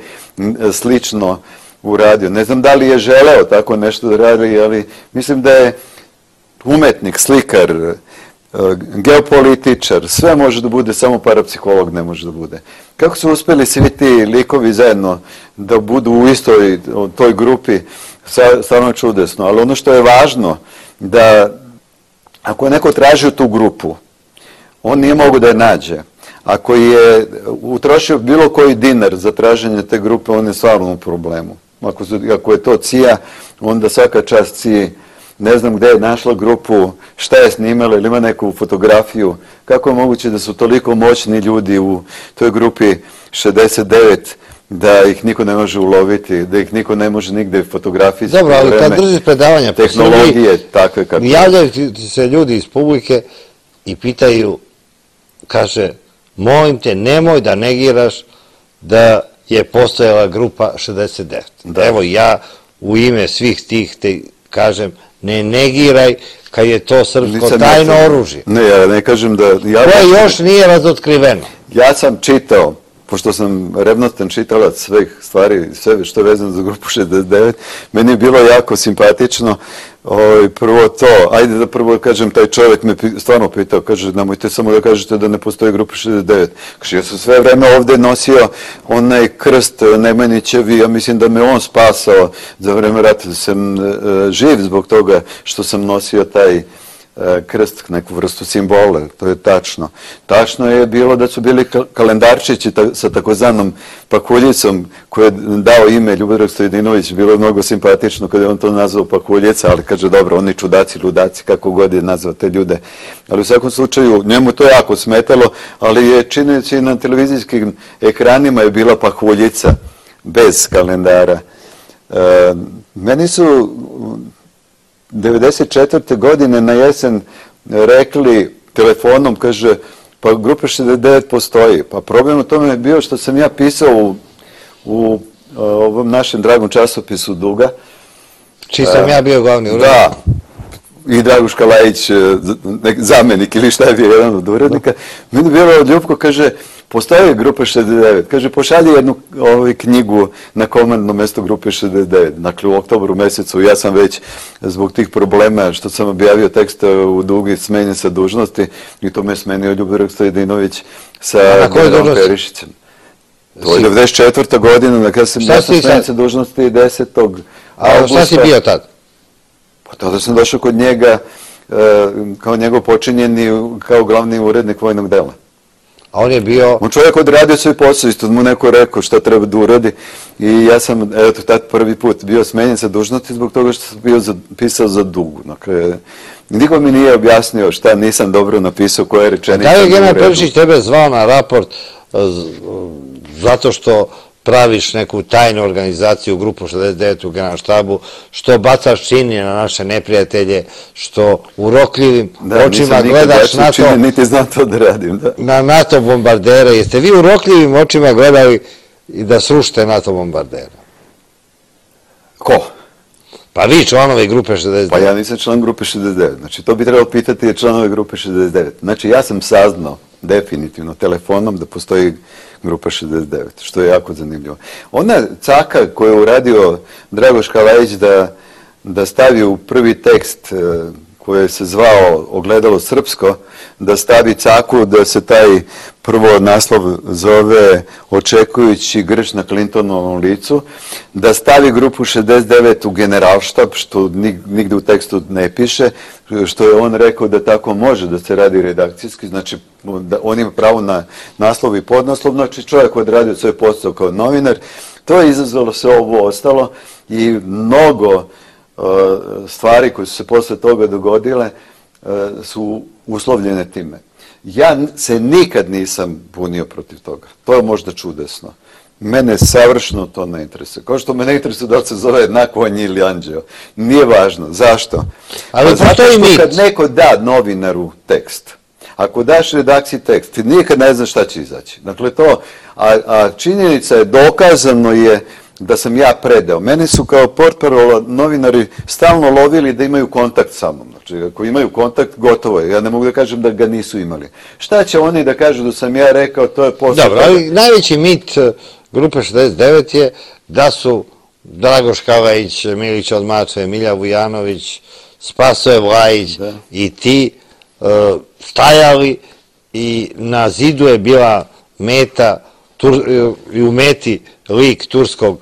slično uradio. Ne znam da li je želeo tako nešto da radi, ali mislim da je umetnik, slikar, geopolitičar, sve može da bude, samo parapsiholog ne može da bude. Kako su uspjeli svi ti likovi zajedno da budu u istoj toj grupi, stvarno je čudesno. Ali ono što je važno, da ako je neko tražio tu grupu, on nije mogu da je nađe. Ako je utrošio bilo koji dinar za traženje te grupe, on je stvarno u problemu. Ako, su, ako je to C I A, onda svaka čast C I A. Ne znam gde je našla grupu, šta je snimala, ili ima neku fotografiju. Kako je moguće da su toliko moćni ljudi u toj grupi šezdeset devet, da ih niko ne može uloviti, da ih niko ne može nigde fotografisati. Dobro, ali kad držiš predavanja, tehnologije takve kako... Javljaju se ljudi iz publike i pitaju, kaže, molim te, nemoj da negiraš da je postojala grupa šezdeset devet. Da. Evo, ja u ime svih tih te kažem, ne negiraj kad je to srpsko tajno oružje. Ne, ja ne kažem da... Koje još nije razotkriveno. Ja sam čitao, pošto sam revnostan čitalac svih stvari, sve što je vezano za grupu šezdeset devet, meni je bilo jako simpatično. Prvo to, ajde da prvo kažem, taj čovjek me stvarno pitao, kaže, nemojte samo da kažete da ne postoji grupa šezdeset devet. Kaže, ja sam sve vreme ovde nosio onaj krst Nemanjićevi, ja mislim da me on spasao za vreme rata, da sam živ zbog toga što sam nosio taj krst, neku vrstu simbola, to je tačno. Tačno je bilo da su bili kalendarčići sa takozvanom pakuljicom koji je dao ime Ljubodrag Stojadinović, bilo je mnogo simpatično kada je on to nazvao pakuljica, ali kaže dobro, oni čudaci, ludaci, kako god je nazvao te ljude. Ali u svakom slučaju, njemu to jako smetalo, ali je činjenica i na televizijskim ekranima je bila pakuljica bez kalendara. E, meni su devedeset četvrte godine na jesen rekli telefonom, kaže, pa grupa šezdeset devet postoji. Pa problem u tome je bio što sam ja pisao u, u ovom našem dragom časopisu Duga. Čiji sam ja bio glavni urednik. Da, i Draguš Kalajić, zamenik ili šta je bio jedan od urednika, meni je bilo od Ljubko, kaže, postoji grupa šezdeset devet, kaže, pošalji jednu ovaj, knjigu na komandno mesto grupe šezdeset devet. Dakle, u oktobru mesecu ja sam već zbog tih problema što sam objavio tekst u Dugi smenjen sa dužnosti i to me smenio Ljubomir Stojadinović sa Denom Perišićem. To je devedeset četvrta godina, kada sam ja smenjen sa dužnosti desetog avgusta. A šta si bio tad? Pa tada sam došao kod njega kao njegov počinjeni, kao glavni urednik vojnog dela. A on je bio... On čovjek odradio svoj posao, isto mu neko rekao šta treba da uradi i ja sam, eto, tad prvi put bio smenjen sa dužnosti zbog toga što sam bio pisao za Dugu. Dakle, niko mi nije objasnio šta nisam dobro napisao, koje rečenice... Da li je Denan Perišić tebe zvao na raport zato što praviš neku tajnu organizaciju, grupu šezdeset devet u Generalštabu, što bacaš čini na naše neprijatelje, što urokljivim očima gledaš NATO... Niti znam to da radim, da. Na NATO bombardere. Jeste vi urokljivim očima gledali i da srušite NATO bombardere? Ko? Pa vi, članovi grupe šezdeset devet. Pa ja nisam član grupe šezdeset devet. Znači, to bi trebalo pitati članove grupe šezdeset devet. Znači, ja sam saznao definitivno telefonom da postoji grupa šezdeset devet, što je jako zanimljivo. Ona caka koju je uradio Dragoš Kalajić da, da stavi u prvi tekst koji se zvao Ogledalo srpsko, da stavi caku da se taj prvo naslov zove Očekujući grč na Clintonovom licu, da stavi grupu šezdeset devet u Generalštab, što nigde u tekstu ne piše, što je on rekao da tako može da se radi redakcijski, znači da on ima pravo na naslov i podnaslov, znači čovjek odradio svoj posao kao novinar, to je izazvalo sve ovo ostalo i mnogo stvari koje su se posle toga dogodile su uslovljene time. Ja se nikad nisam bunio protiv toga. To je možda čudesno. Mene savršeno to ne interesuje. Kao što me ne interesuje da li se zove Nakonj ili Anđeo. Nije važno. Zašto? Ali postoji mit. Kad neko da novinaru tekst, ako daš redakciji tekst, ti nikad ne znaš šta će izaći. Dakle, to, a činjenica je, dokazano je da sam ja predao. Mene su kao portparola novinari stalno lovili da imaju kontakt sa mnom. Znači, ako imaju kontakt, gotovo je. Ja ne mogu da kažem da ga nisu imali. Šta će oni da kažu da sam ja rekao, to je posao. Dobro, ali najveći mit grupe šezdeset devet je da su Dragoš Kalajić, Milić od Mačve, Milja Vujanović, Spasoje Vlajić i ti stajali i na zidu je bila meta i u meti lik turskog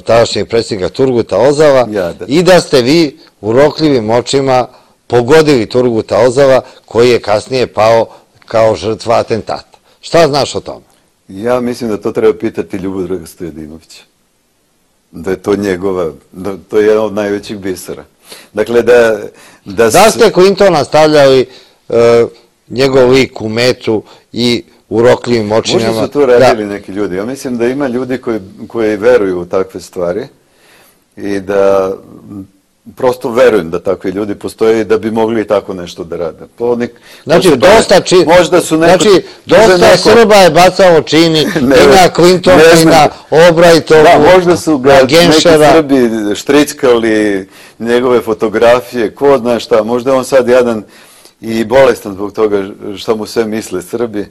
tadašnjeg predsjednika Turguta Ozala i da ste vi urokljivim očima pogodili Turguta Ozala koji je kasnije pao kao žrtva atentata. Šta znaš o tome? Ja mislim da to treba pitati Ljubodraga Stojadinovića. Da je to njegova, da to je jedan od najvećih bisera. Dakle, da... Da ste Clintona stavljali njegov lik u metu i urokljivim očinama. Možda su to radili neki ljudi. Ja mislim da ima ljudi koji veruju u takve stvari i da prosto verujem da takvi ljudi postoje i da bi mogli i tako nešto da rade. Znači, dosta Srba je bacalo čini i na Clintona i na Albrightovu, možda su ga neki Srbi štrickali njegove fotografije, ko zna šta, možda je on sad jadan i bolestan zbog toga što mu sve misle Srbi.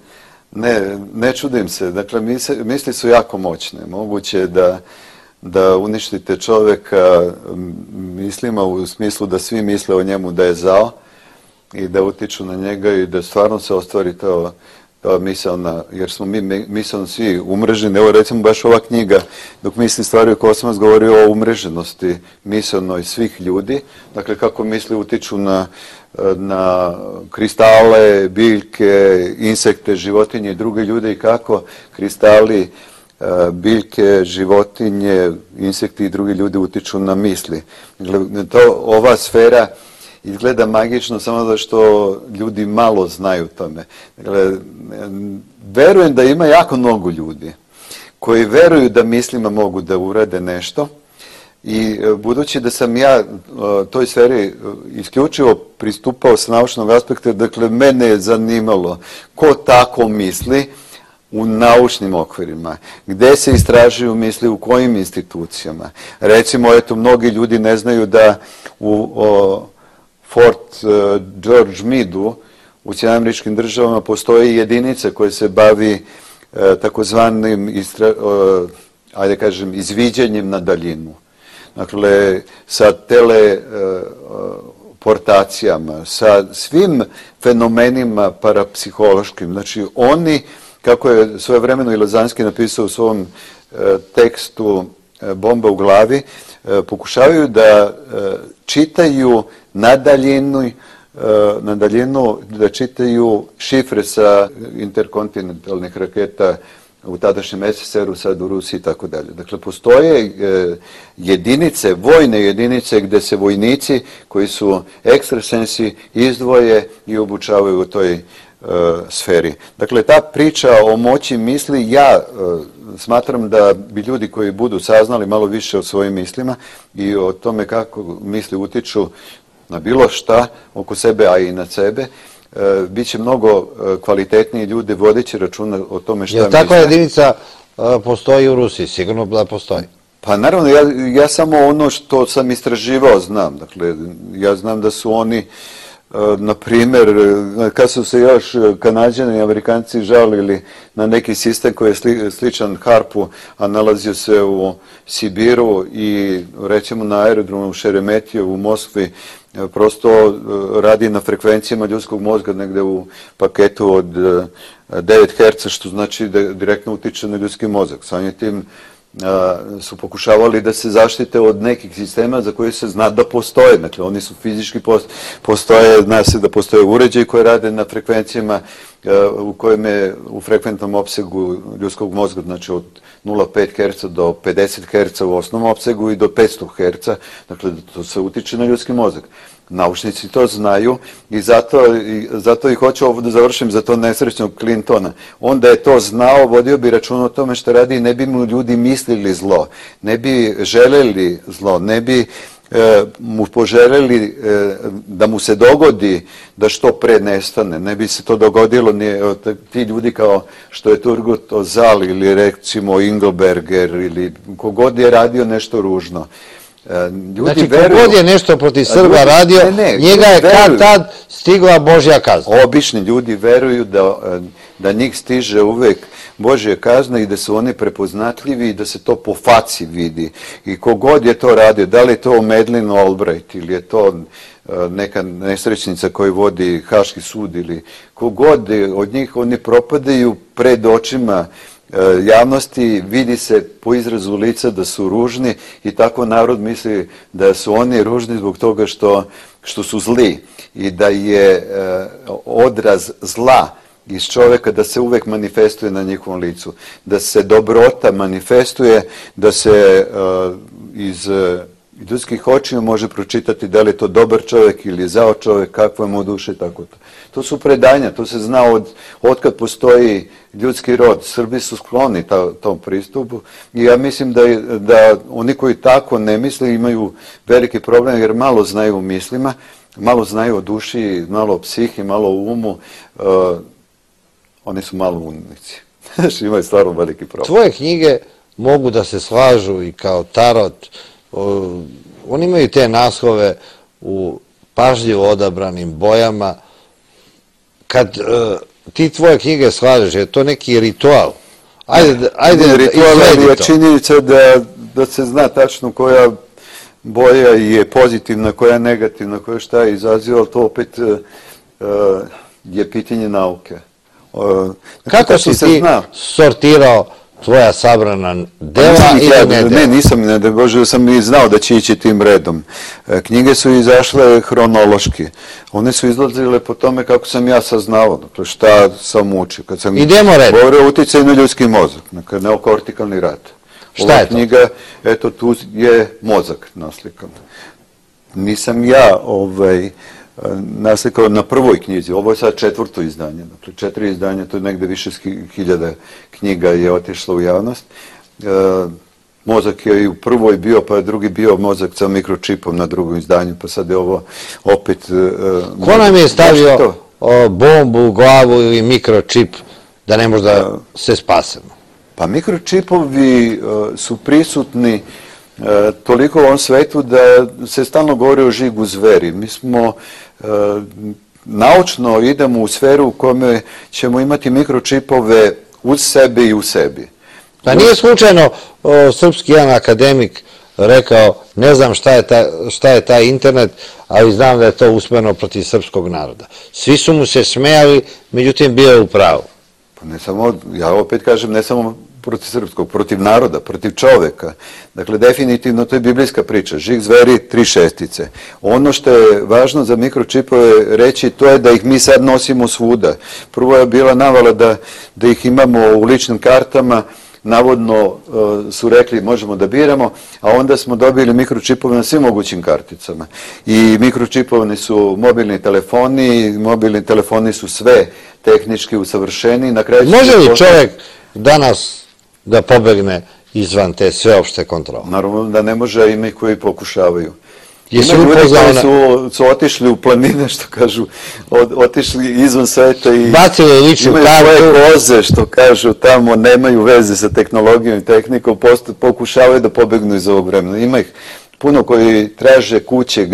Ne, ne čudim se. Dakle, misli su jako moćne. Moguće je da, da uništite čoveka mislima u smislu da svi misle o njemu da je zao i da utiču na njega i da stvarno se ostvari to misalna, jer smo mi misalno svi umreženi. Evo recimo baš ova knjiga, dok misli stvari o Kosmas, govori o umreženosti misalnoj svih ljudi. Dakle, kako misli utiču na na kristale, biljke, insekte, životinje i druge ljude i kako kristali, biljke, životinje, insekti i drugi ljudi utiču na misli. To, ova sfera izgleda magično samo zato što ljudi malo znaju tome. Dakle, verujem da ima jako mnogo ljudi koji veruju da mislima mogu da urade nešto. I budući da sam ja toj sferi isključivo pristupao sa naučnog aspekta, dakle, mene je zanimalo ko tako misli u naučnim okvirima, gde se istražuju misli, u kojim institucijama. Recimo, eto, mnogi ljudi ne znaju da u Fort George Meade-u u Sjedinjenim Američkim Državama postoje jedinice koje se bavi takozvanim, ajde kažem, izviđanjem na daljinu. Dakle, sa teleportacijama, sa svim fenomenima parapsihološkim. Znači, oni, kako je svojevremeno i Lazanski napisao u svom tekstu Bomba u glavi, pokušavaju da čitaju na daljinu, na daljinu, da čitaju šifre sa interkontinentalnih raketa u tadašnjem es es er u, sad u Rusiji i tako dalje. Dakle, postoje jedinice, vojne jedinice gde se vojnici koji su ekstrasensi izdvoje i obučavaju u toj sferi. Dakle, ta priča o moći misli, ja smatram da bi ljudi koji budu saznali malo više o svojim mislima i o tome kako misli utiču na bilo šta oko sebe, a i na sebe, bit će mnogo kvalitetniji ljudi vodeći računa o tome šta misle. Jer takva jedinica postoji u Rusiji? Sigurno da postoji. Pa naravno, ja, ja samo ono što sam istraživao znam. Dakle, ja znam da su oni, na primjer, kad su se još Kanađani i Amerikanci žalili na neki sistem koji je sli, sličan harpu, a nalazio se u Sibiru i recimo na aerodromu u Šeremetijevu u Moskvi, prosto radi na frekvencijama ljudskog mozga negde u paketu od devet herca, što znači da direktno utiče na ljudski mozak. Samim tim su pokušavali da se zaštite od nekih sistema za koje se zna da postoje. Dakle, oni su fizički postoje, zna se da postoje uređaji koji rade na frekvencijama u kojem je u frekventnom opsegu ljudskog mozga, znači od nula zarez pet herca do pedeset herca u osnovnom opsegu i do petsto herca, dakle to se utiče na ljudski mozak. Naučnici to znaju i zato, i zato i hoću ovo da završim za to nesrećnog Clintona. On da je to znao, vodio bi račun o tome što radi i ne bi mu ljudi mislili zlo, ne bi želeli zlo, ne bi e, mu poželjeli e, da mu se dogodi da što pre nestane, ne bi se to dogodilo ni ti ljudi kao što je Turgut Özal ili recimo Engelberger ili kogod je radio nešto ružno. Ljudi znači, kogod je nešto protiv Srba ljudi, radio, ne, ne, njega je kad tad stigla Božja kazna. Obični ljudi veruju da, da njih stiže uvek Božja kazna i da su oni prepoznatljivi i da se to po faci vidi. I kogod je to radio, da li je to Madeleine Albright ili je to neka nesrećnica koji vodi Haški sud ili kogod od njih, oni propadaju pred očima javnosti, vidi se po izrazu lica da su ružni i tako narod misli da su oni ružni zbog toga što, što su zli i da je odraz zla iz čoveka da se uvek manifestuje na njihovom licu, da se dobrota manifestuje, da se iz ljudskih očiju može pročitati da li je to dobar čovjek ili zao čovjek, kakva mu duša i tako to. To su predanja, to se zna od, od kad postoji ljudski rod. Srbi su skloni ta, tom pristupu i ja mislim da, da oni koji tako ne misle imaju veliki problem jer malo znaju o mislima, malo znaju o duši, malo o psihi, malo o umu. Uh, oni su malo umnici. Imaju stvarno veliki problem. Tvoje knjige mogu da se slažu i kao tarot. Oni imaju te naslove u pažljivo odabranim bojama. Kad uh, ti tvoje knjige slažeš, je to neki ritual? Ajde, ajde ne, ritual je činjenica da, da se zna tačno koja boja je pozitivna, koja je negativna, koja šta je izaziva, ali to opet uh, je pitanje nauke. Uh, Kako si ti zna sortirao tvoja sabrana dela ili ne dela? Ne, nisam, ne da Bože, sam i znao da će ići tim redom. Knjige su izašle hronološki. One su izlazile po tome kako sam ja saznao, dakle šta sam učio. Kad sam Idemo redom. Govorio o uticaju na ljudski mozak, dakle neokortikalni rad. Šta je to? Knjiga, eto tu je mozak naslikan. Nisam ja ovaj, naslikao na prvoj knjizi, ovo je sad četvrto izdanje, dakle četiri izdanja, to je negde više hiljada knjiga je otišlo u javnost. E, mozak je i u prvoj bio, pa je drugi bio mozak sa mikročipom na drugom izdanju, pa sad je ovo opet... E, Ko nam je stavio o, bombu u glavu ili mikročip da ne može da se spasemo? Pa mikročipovi e, su prisutni toliko u ovom svetu da se stalno govori o žigu zveri. Mi smo naučno idemo u sferu u kome ćemo imati mikročipove uz sebe i u sebi. Pa nije slučajno srpski jedan akademik rekao, ne znam šta je taj internet, ali znam da je to usmereno protiv srpskog naroda. Svi su mu se smejali, međutim bio je u pravu. Pa ne samo, ja opet kažem, ne samo protiv srpskog, protiv naroda, protiv čoveka. Dakle, definitivno to je biblijska priča. Žig zveri, tri šestice. Ono što je važno za mikročipove reći, to je da ih mi sad nosimo svuda. Prvo je bila navala da ih imamo u ličnim kartama, navodno su rekli možemo da biramo, a onda smo dobili mikročipove na svim mogućim karticama. I mikročipovani su mobilni telefoni, mobilni telefoni su sve tehnički usavršeni. Može li čovjek danas da pobegne izvan te sveopšte kontrole? Naravno da ne može, ima i koji pokušavaju. Ima ljudi koji su otišli u planine, što kažu, otišli izvan sveta i imaju svoje koze, što kažu, tamo nemaju veze sa tehnologijom i tehnikom, pokušavaju da pobegnu iz ovog vremena. Ima ih puno koji traže kuće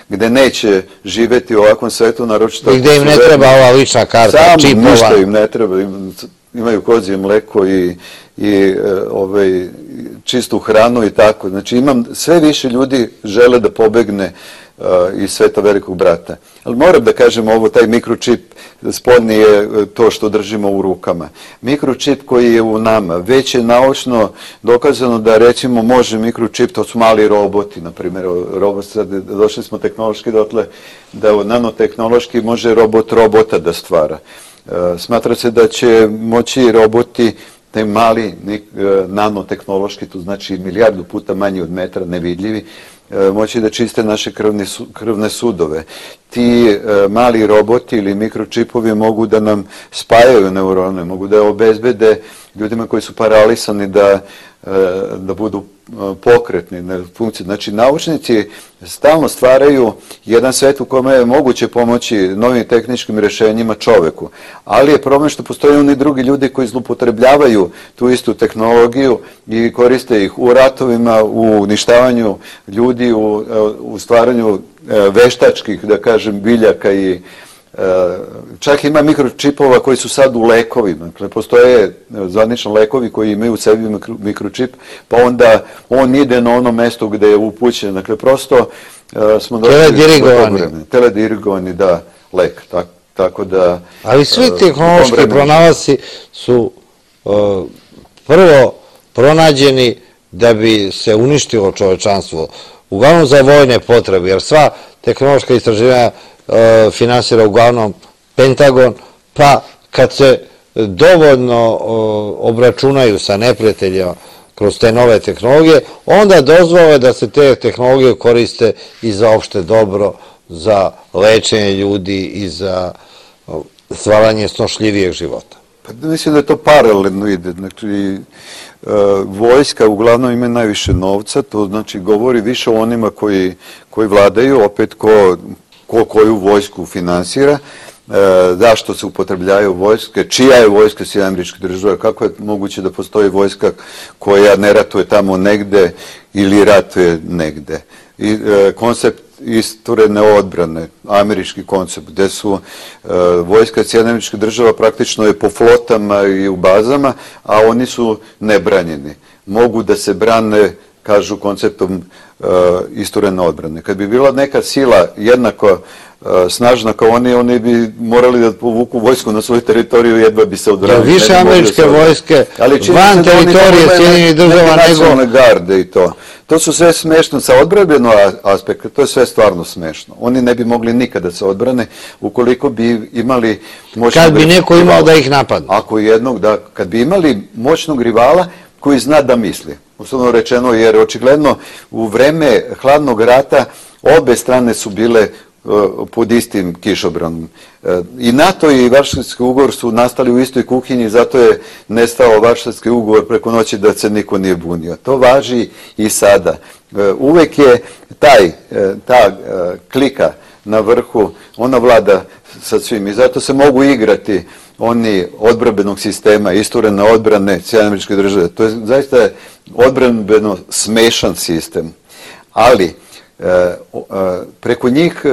gde neće živeti u ovakvom svetu, naročito... I gde im ne treba ova lična karta, čipova. Samo ništa im ne treba, imaju kozije mleko i čistu hranu i tako. Znači imam, sve više ljudi žele da pobegne iz sveta velikog brata. Ali moram da kažem ovo, taj mikročip spodnji je to što držimo u rukama. Mikročip koji je u nama, već je naučno dokazano da recimo može mikročip, to su mali roboti, na primjer, došli smo tehnološki dotle da nanotehnološki može robot robota da stvara. Smatra se da će moći roboti, taj mali nanotehnološki, to znači milijardu puta manji od metra, nevidljivi, moći da čiste naše krvne sudove. Ti mali roboti ili mikročipovi mogu da nam spajaju neurone, mogu da obezbede ljudima koji su paralisani da budu pokretni, funkcije. Znači, naučnici stalno stvaraju jedan svet u kome je moguće pomoći novim tehničkim rješenjima čoveku, ali je problem što postoje oni drugi ljudi koji zloupotrebljavaju tu istu tehnologiju i koriste ih u ratovima, u uništavanju ljudi, u stvaranju veštačkih, da kažem, biljaka i čak ima mikročipova koji su sad u lekovima. Dakle, postoje zvanično lekovi koji imaju u sebi mikročip, pa onda on ide na ono mesto gde je upućen. Dakle, prosto smo došli... Teledirigovani. Teledirigovani, da, lek. Tako da... Ali svi tehnološki pronalasci su prvo pronađeni da bi se uništilo čovečanstvo, uglavnom za vojne potrebe, jer sva tehnološka istraživanja finansira uglavnom Pentagon, pa kad se dovoljno obračunaju sa neprijateljima kroz te nove tehnologije, onda dozvole da se te tehnologije koriste i za opšte dobro, za lečenje ljudi i za stvaranje snošljivijeg života. Pa mislim da je to paralelno ide. Znači, vojska uglavnom ima najviše novca, to znači govori više o onima koji vladaju, opet ko ko koju vojsku finansira, zašto se upotrebljaju vojske, čija je vojska Sjedinjenih Američkih Država, kako je moguće da postoji vojska koja ne ratuje tamo negde ili ratuje negde. Koncept isturene odbrane, američki koncept, gde su vojska Sjedinjenih Američkih Država praktično je po flotama i u bazama, a oni su nebranjeni. Mogu da se brane, kažu, konceptom isturene odbrane. Kad bi bila neka sila jednako snažna kao oni, oni bi morali da povuku vojsku na svoju teritoriju, jedva bi se odbranili. Više američke vojske van teritorije Sjedinjenih Država nego... nacionalne garde i to. To su sve smešno sa odbranbenog aspekta, to je sve stvarno smešno. Oni ne bi mogli nikada se odbrane ukoliko bi imali moćnog rivala. Kad bi neko imao da ih napadne. Ako jednog, da, kad bi imali moćnog rivala koji zna da misli. Uslovno rečeno, jer očigledno u vreme hladnog rata obe strane su bile pod istim kišobranom. I NATO i Varšavski ugovor su nastali u istoj kuhinji, zato je nestao Varšavski ugovor preko noći da se niko nije bunio. To važi i sada. Uvek je taj, ta klika na vrhu, ona vlada sa svim i zato se mogu igrati oni odbrambenog sistema, isturene odbrane Sjedinjenih Američkih Država. To je zaista odbrambeno smešan sistem. Ali preko njih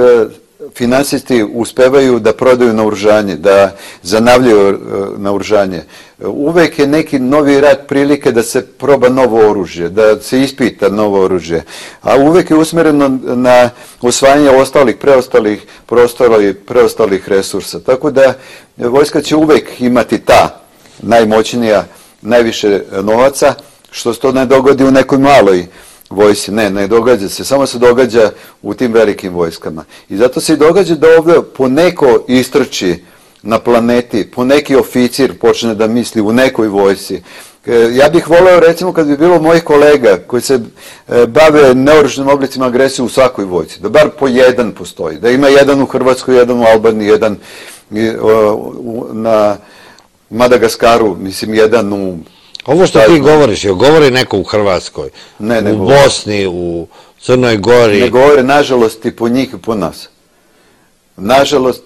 finansisti uspevaju da prodaju naoružanje, da zanavljaju naoružanje. Uvek je neki novi rat prilike da se proba novo oružje, da se ispita novo oružje, a uvek je usmereno na osvajanje ostalih, preostalih prostora i preostalih resursa. Tako da vojska će uvek imati ta najmoćnija, najviše novaca, što se to ne dogodi u nekoj maloj vojsi. Ne, ne događa se, samo se događa u tim velikim vojskama. I zato se i događa da ovdje poneko istrči na planeti, poneki oficir počne da misli u nekoj vojsi. Ja bih voleo, recimo, kad bi bilo mojih kolega koji se bave neoružanim oblicima agresije u svakoj vojci, da bar po jedan postoji, da ima jedan u Hrvatskoj, jedan u Albaniji, jedan na Madagaskaru, mislim, jedan u... Ovo što ti govoriš, je govori neko u Hrvatskoj, u Bosni, u Crnoj Gori? Ne govore, nažalost, i po njih i po nas. Nažalost,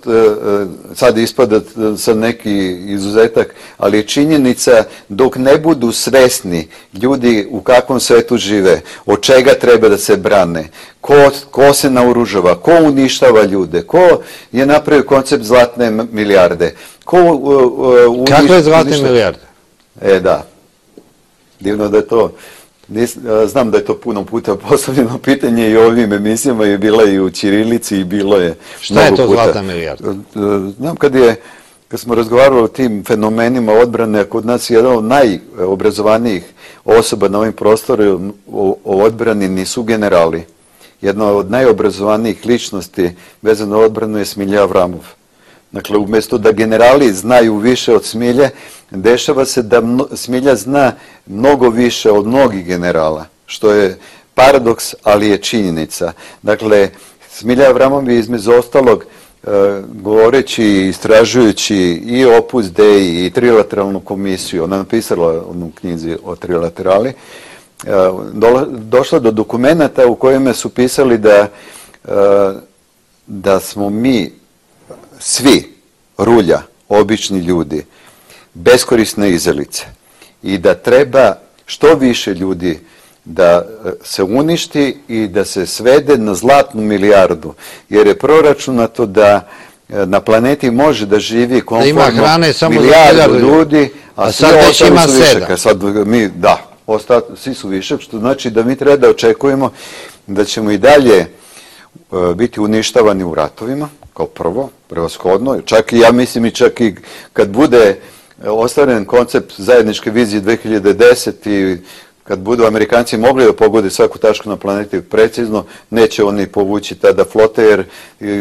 sad ispada sa neki izuzetak, ali je činjenica dok ne budu svesni ljudi u kakvom svetu žive, od čega treba da se brane, ko se naoružava, ko uništava ljude, ko je napravio koncept zlatne milijarde. Kakve zlatne milijarde? E, da. Divno da je to, znam da je to puno puta postavljeno pitanje i u ovim emisijama je bila i u ćirilici i bilo je Šta je to zlatna milijarda? Znam kad je, kad smo razgovarali o tim fenomenima odbrane, kod nas je jedan od najobrazovanijih osoba na ovim prostorima o odbrani nisu generali. Jedna od najobrazovanijih ličnosti vezano na odbranu je Smilja Avramov. Dakle, umjesto da generali znaju više od Smilje, dešava se da Smilja zna mnogo više od mnogih generala, što je paradoks, ali je činjenica. Dakle, Smilja Avramov je između ostalog, govoreći i istražujući i Opus Dei i trilateralnu komisiju, ona je napisala onu knjizi o trilaterali, došla do dokumenta u kojima su pisali da, da smo mi svi rulja, obični ljudi, beskorisne izelice i da treba što više ljudi da se uništi i da se svede na zlatnu milijardu, jer je proračunato da na planeti može da živi komfortno milijardu ljudi, a sad već ima sedam. Sad mi, da, svi su višak, što znači da mi treba da očekujemo da ćemo i dalje biti uništavani u ratovima, kao prvo, prevashodno, čak i ja mislim i čak i kad bude ostvaren koncept zajedničke vizije dve hiljade desete i kad budu Amerikanci mogli da pogode svaku tačku na planeti precizno, neće oni povući tada flote, jer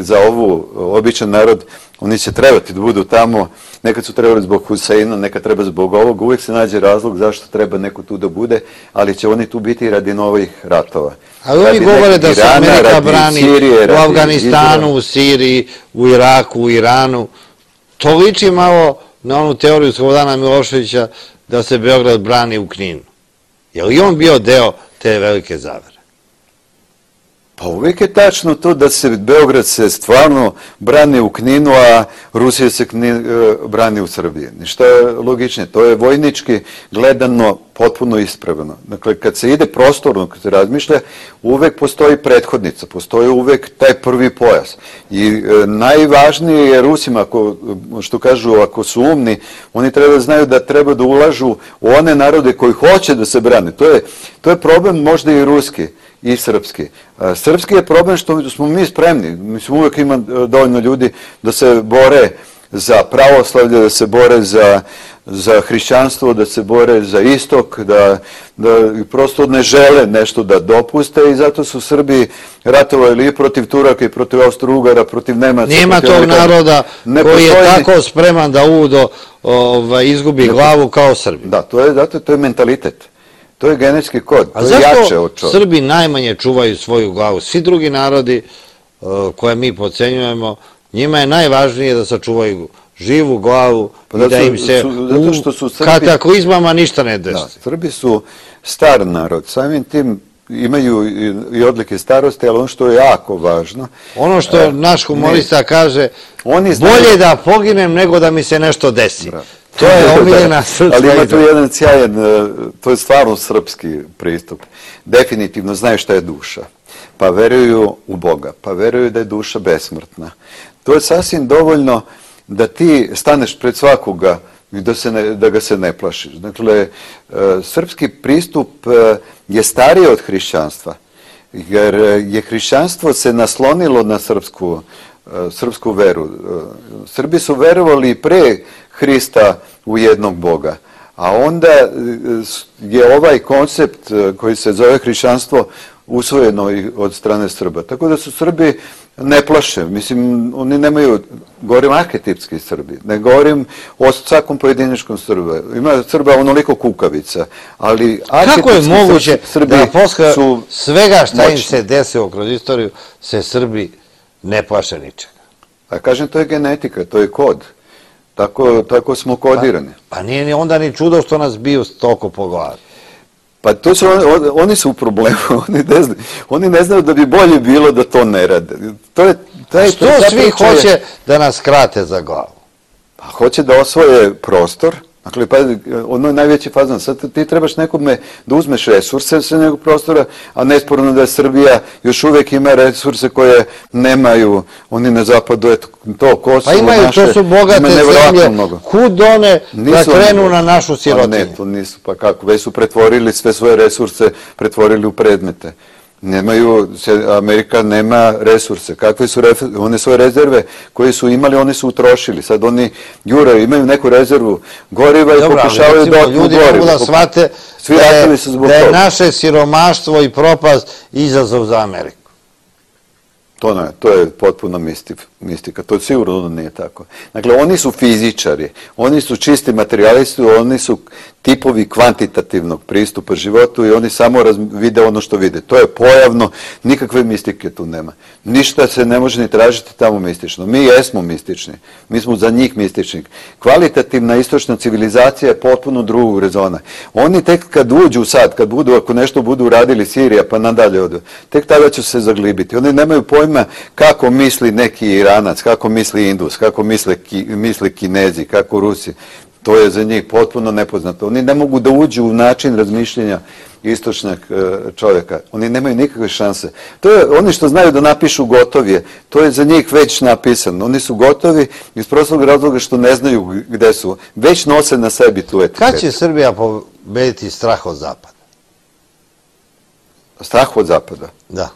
za ovu običan narod oni će trebati da budu tamo, nekad su trebali zbog Huseina, nekad treba zbog ovog, uvijek se nađe razlog zašto treba neko tu da bude, ali će oni tu biti radi novih ratova. Ali oni govore da se Amerika brani u Afganistanu, u Siriji, u Iraku, u Iranu. To liči malo na onu teoriju Slobodana Miloševića da se Beograd brani u Kninu. Je li on bio deo te velike zavere? Pa uvijek je tačno to da se Beograd se stvarno brani u Kninu, a Rusija se brani u Srbiji. Ništa je logičnije. To je vojnički gledano potpuno ispravno. Dakle, kad se ide prostorno, kad se razmišlja, uvek postoji prethodnica, postoji uvek taj prvi pojas. I najvažnije je Rusima, što kažu, ako su umni, oni treba da znaju da treba da ulažu u one narode koji hoće da se brane. To je problem možda i ruski i srpski. Srpski je problem što smo mi spremni. Mislim, uvek ima dovoljno ljudi da se bore za pravoslavlje, da se bore za za hrišćanstvo, da se bore za istok, da prosto ne žele nešto da dopuste i zato su Srbi ratovali i protiv Turaka i protiv Austro-Ugara, protiv Nemaca. Nema tog naroda koji je tako spreman da udo izgubi glavu kao Srbi. Da, to je mentalitet. To je genetski kod. A zašto Srbi najmanje čuvaju svoju glavu? Svi drugi narodi koje mi pocenjujemo, njima je najvažnije da sačuvaju živu glavu i da im se u kataklizmama ništa ne desi. Srbi su star narod, samim tim imaju i odlike starosti, ali ono što je jako važno... Ono što naš humorista kaže, bolje da poginem nego da mi se nešto desi. To je omiljena srpska igra. Ali ima tu jedan sjajan, to je stvarno srpski pristup. Definitivno znaju šta je duša. Pa veruju u Boga, pa veruju da je duša besmrtna. To je sasvim dovoljno da ti staneš pred svakoga i da, se ne, da ga se ne plašiš. Dakle, srpski pristup je stariji od hrišćanstva, jer je hrišćanstvo se naslonilo na srpsku, srpsku veru. Srbi su verovali pre Hrista u jednog Boga, a onda je ovaj koncept koji se zove hrišćanstvo usvojeno od strane Srba. Tako da su Srbi ne plaše. Mislim, oni nemaju, govorim arhetipski Srbi, ne govorim o svakom pojedinačnom Srba. Ima Srba onoliko kukavica, ali kako je moguće Srbi da posle su svega šta im moćni. se desilo kroz istoriju, se Srbi ne plaše ničega? A kažem, to je genetika, to je kod. Tako, tako smo kodirani. Pa, pa nije ni onda ni čudo što nas biju toliko po glavi. Pa to su, on, oni su u problemu, oni ne, znaju, oni ne znaju da bi bolje bilo da to ne rade. To je, taj, što svi hoće da nas krate za glavu? Pa hoće da osvoje prostor. Dakle, pa, ono je najveći fazan. Sad ti trebaš nekome da uzmeš resurse sa nekog prostora, a nesporno da je Srbija još uvijek ima resurse koje nemaju oni na zapadu, eto, to Kosovo, pa imaju, naše, to su bogate zemlje, mnogo. Kud one da krenu na našu sirotinju? Pa ne, to nisu, pa kako, već su pretvorili sve svoje resurse, pretvorili u predmete. Nemaju, Amerika nema resurse. Kakve su one svoje rezerve koje su imali, oni su utrošili. Sad oni juraju, imaju neku rezervu goriva i pokušavaju da otmu gorivo. Ljudi mogu da shvate da je naše siromaštvo i propast izazov za Ameriku. To ne, to je potpuno mistika. To sigurno nije tako. Dakle, oni su fizičari, oni su čisti materijalisti, oni su tipovi kvantitativnog pristupa životu i oni samo vide ono što vide. To je pojavno, nikakve mistike tu nema. Ništa se ne može ni tražiti tamo mistično. Mi jesmo mistični, mi smo za njih mistični. Kvalitativna istočna civilizacija je potpuno drugog rezona. Oni tek kad uđu sad, kad budu, ako nešto budu uradili Sirija pa nadalje odu, tek tada će se zaglibiti. Oni nemaju pojma kako misli neki Iranac, kako misli Indus, kako misle, ki, misle Kinezi, kako Rusi. To je za njih potpuno nepoznato. Oni ne mogu da uđu u način razmišljenja istočnog čovjeka. Oni nemaju nikakve šanse. To je, oni što znaju da napišu gotovije, to je za njih već napisano. Oni su gotovi iz prostog razloga što ne znaju gde su. Već nose na sebi tu etiketu. Kad će Srbija pobediti strah od zapada? Strah od zapada? Da.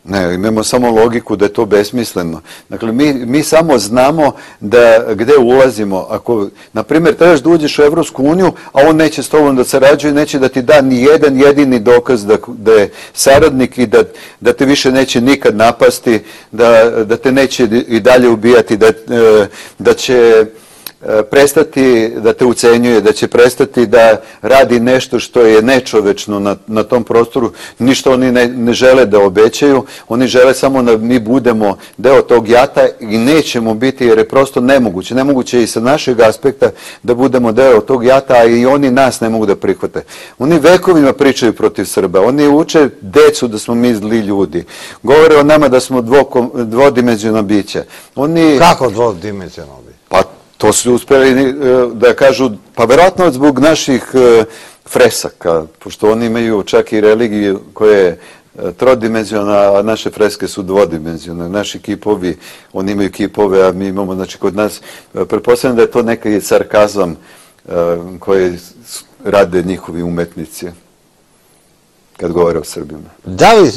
Ne, imamo samo logiku da je to besmisleno. Dakle, mi, mi samo znamo da gde ulazimo. Ako, na primjer, trebaš da uđeš u Evropsku uniju, a on neće s tobom da sarađuje, neće da ti da ni jedan jedini dokaz da, da je saradnik i da, da te više neće nikad napasti, da, da te neće i dalje ubijati, da, da će prestati da te ucenjuje, da će prestati da radi nešto što je nečovečno na, na tom prostoru, ništa oni ne, ne žele da obećaju, oni žele samo da mi budemo deo tog jata i nećemo biti, jer je prosto nemoguće. Nemoguće i sa našeg aspekta da budemo deo tog jata, a i oni nas ne mogu da prihvate. Oni vekovima pričaju protiv Srba, oni uče decu da smo mi zli ljudi, govore o nama da smo dvodimenzionalna bića. Oni... Kako dvodimenzionalna bića? Pa to su uspeli da kažu, pa verovatno zbog naših fresaka, pošto oni imaju čak i religiju koja je trodimenzionalna, a naše freske su dvodimenzionalne. Naši kipovi, oni imaju kipove, a mi imamo, znači kod nas, pretpostavljam da je to neki sarkazam koji rade njihovi umetnici kad govore o Srbima. Da li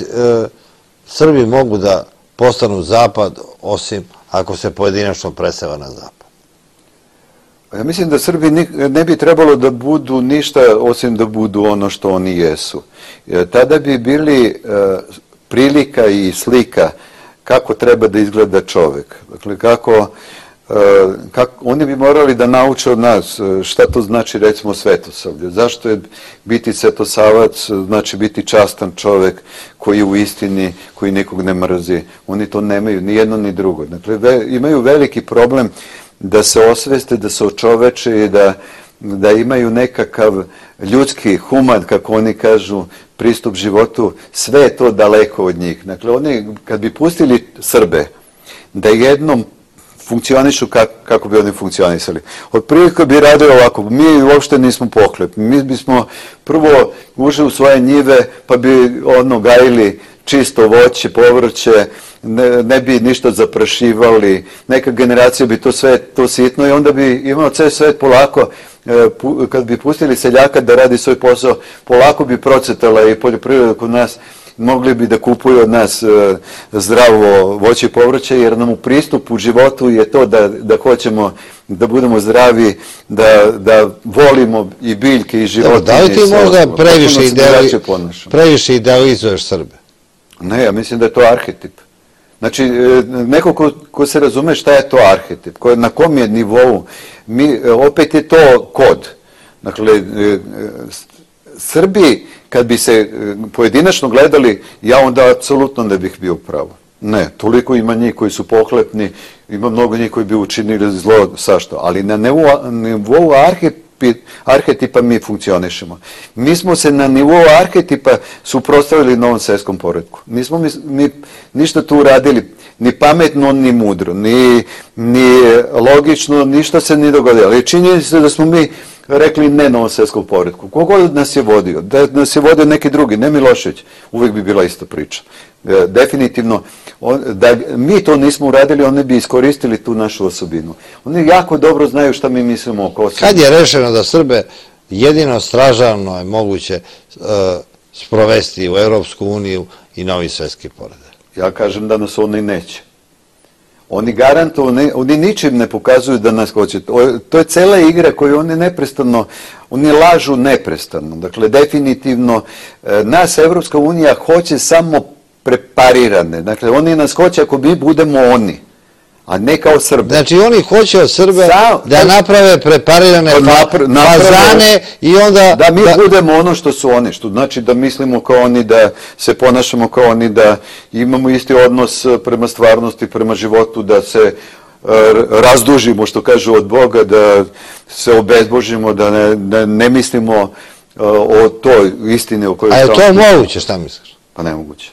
Srbi mogu da postanu zapad, osim ako se pojedinačno preseva na zapad? Ja mislim da Srbi ne bi trebalo da budu ništa osim da budu ono što oni jesu. Tada bi bili prilika i slika kako treba da izgleda čovek. Dakle, kako, kako oni bi morali da nauče od nas šta to znači recimo svetosavlje. Zašto je biti svetosavac, znači biti častan čovek koji je u istini, koji nikog ne mrzi. Oni to nemaju, ni jedno ni drugo. Dakle, imaju veliki problem da se osveste, da se očoveče i da, da imaju nekakav ljudski, human, kako oni kažu, pristup životu, sve je to daleko od njih. Dakle, oni, kad bi pustili Srbe, da jednom funkcionišu kako bi oni funkcionisali. Otprilike bi radili ovako, mi uopšte nismo pohlep, mi bismo prvo ušli u svoje njive, pa bi ono gajili čisto voće, povrće, ne, ne bi ništa zaprašivali, neka generacija bi to sve to sitno i onda bi imao ceo svet polako, kad bi pustili seljaka da radi svoj posao, polako bi procvetala i poljoprivreda kod nas, mogli bi da kupuju od nas zdravo voće i povrće, jer nam u pristupu životu je to da, da hoćemo da budemo zdravi, da, da volimo i biljke i životinje. Da li ti možda previše, ideali, previše idealizuješ Srbe? Ne, ja mislim da je to arhetip. Znači, neko ko, ko se razume šta je to arhetip, ko, na kom je nivou, mi, opet je to kod. Dakle, Srbi, kad bi se pojedinačno gledali, ja onda apsolutno ne bih bio pravo. Ne, toliko ima njih koji su pohlepni, ima mnogo njih koji bi učinili zlo, sašto, ali na nivou, nivou arhetipa mi funkcionišemo. Mi smo se na nivou arhetipa suprotstavili novom svetskom poretku. Nismo mi, mi ništa tu uradili, ni pametno, ni mudro, ni, ni logično, ništa se nije dogodilo. Ali činjeni se da smo mi rekli ne novom svetskom poretku. Kogod nas je vodio, da nas je vodio neki drugi, ne Milošević, uvek bi bila ista priča. E, definitivno, on, da mi to nismo uradili, oni bi iskoristili tu našu osobinu. Oni jako dobro znaju šta mi mislimo o Kosovu. Kad je rešeno da Srbe jedino stražavno je moguće uh, sprovesti u Evropsku uniju i novi svetski poredak? Ja kažem da nas oni neće. Oni garantuju, oni ničim ne pokazuju da nas hoće. To je cela igra koju oni neprestano, oni lažu neprestano. Dakle, definitivno, nas Evropska unija hoće samo preparirane. Dakle, oni nas hoće ako mi budemo oni, a ne kao Srbe. Znači, oni hoće od Srbe da naprave preparirane fazane i onda... Da mi budemo ono što su oni, što znači da mislimo kao oni, da se ponašamo kao oni, da imamo isti odnos prema stvarnosti, prema životu, da se razdužimo, što kažu, od Boga, da se obezbožimo, da ne, da ne mislimo o toj istini o kojoj... A je to moguće, šta misliš? Pa nemoguće.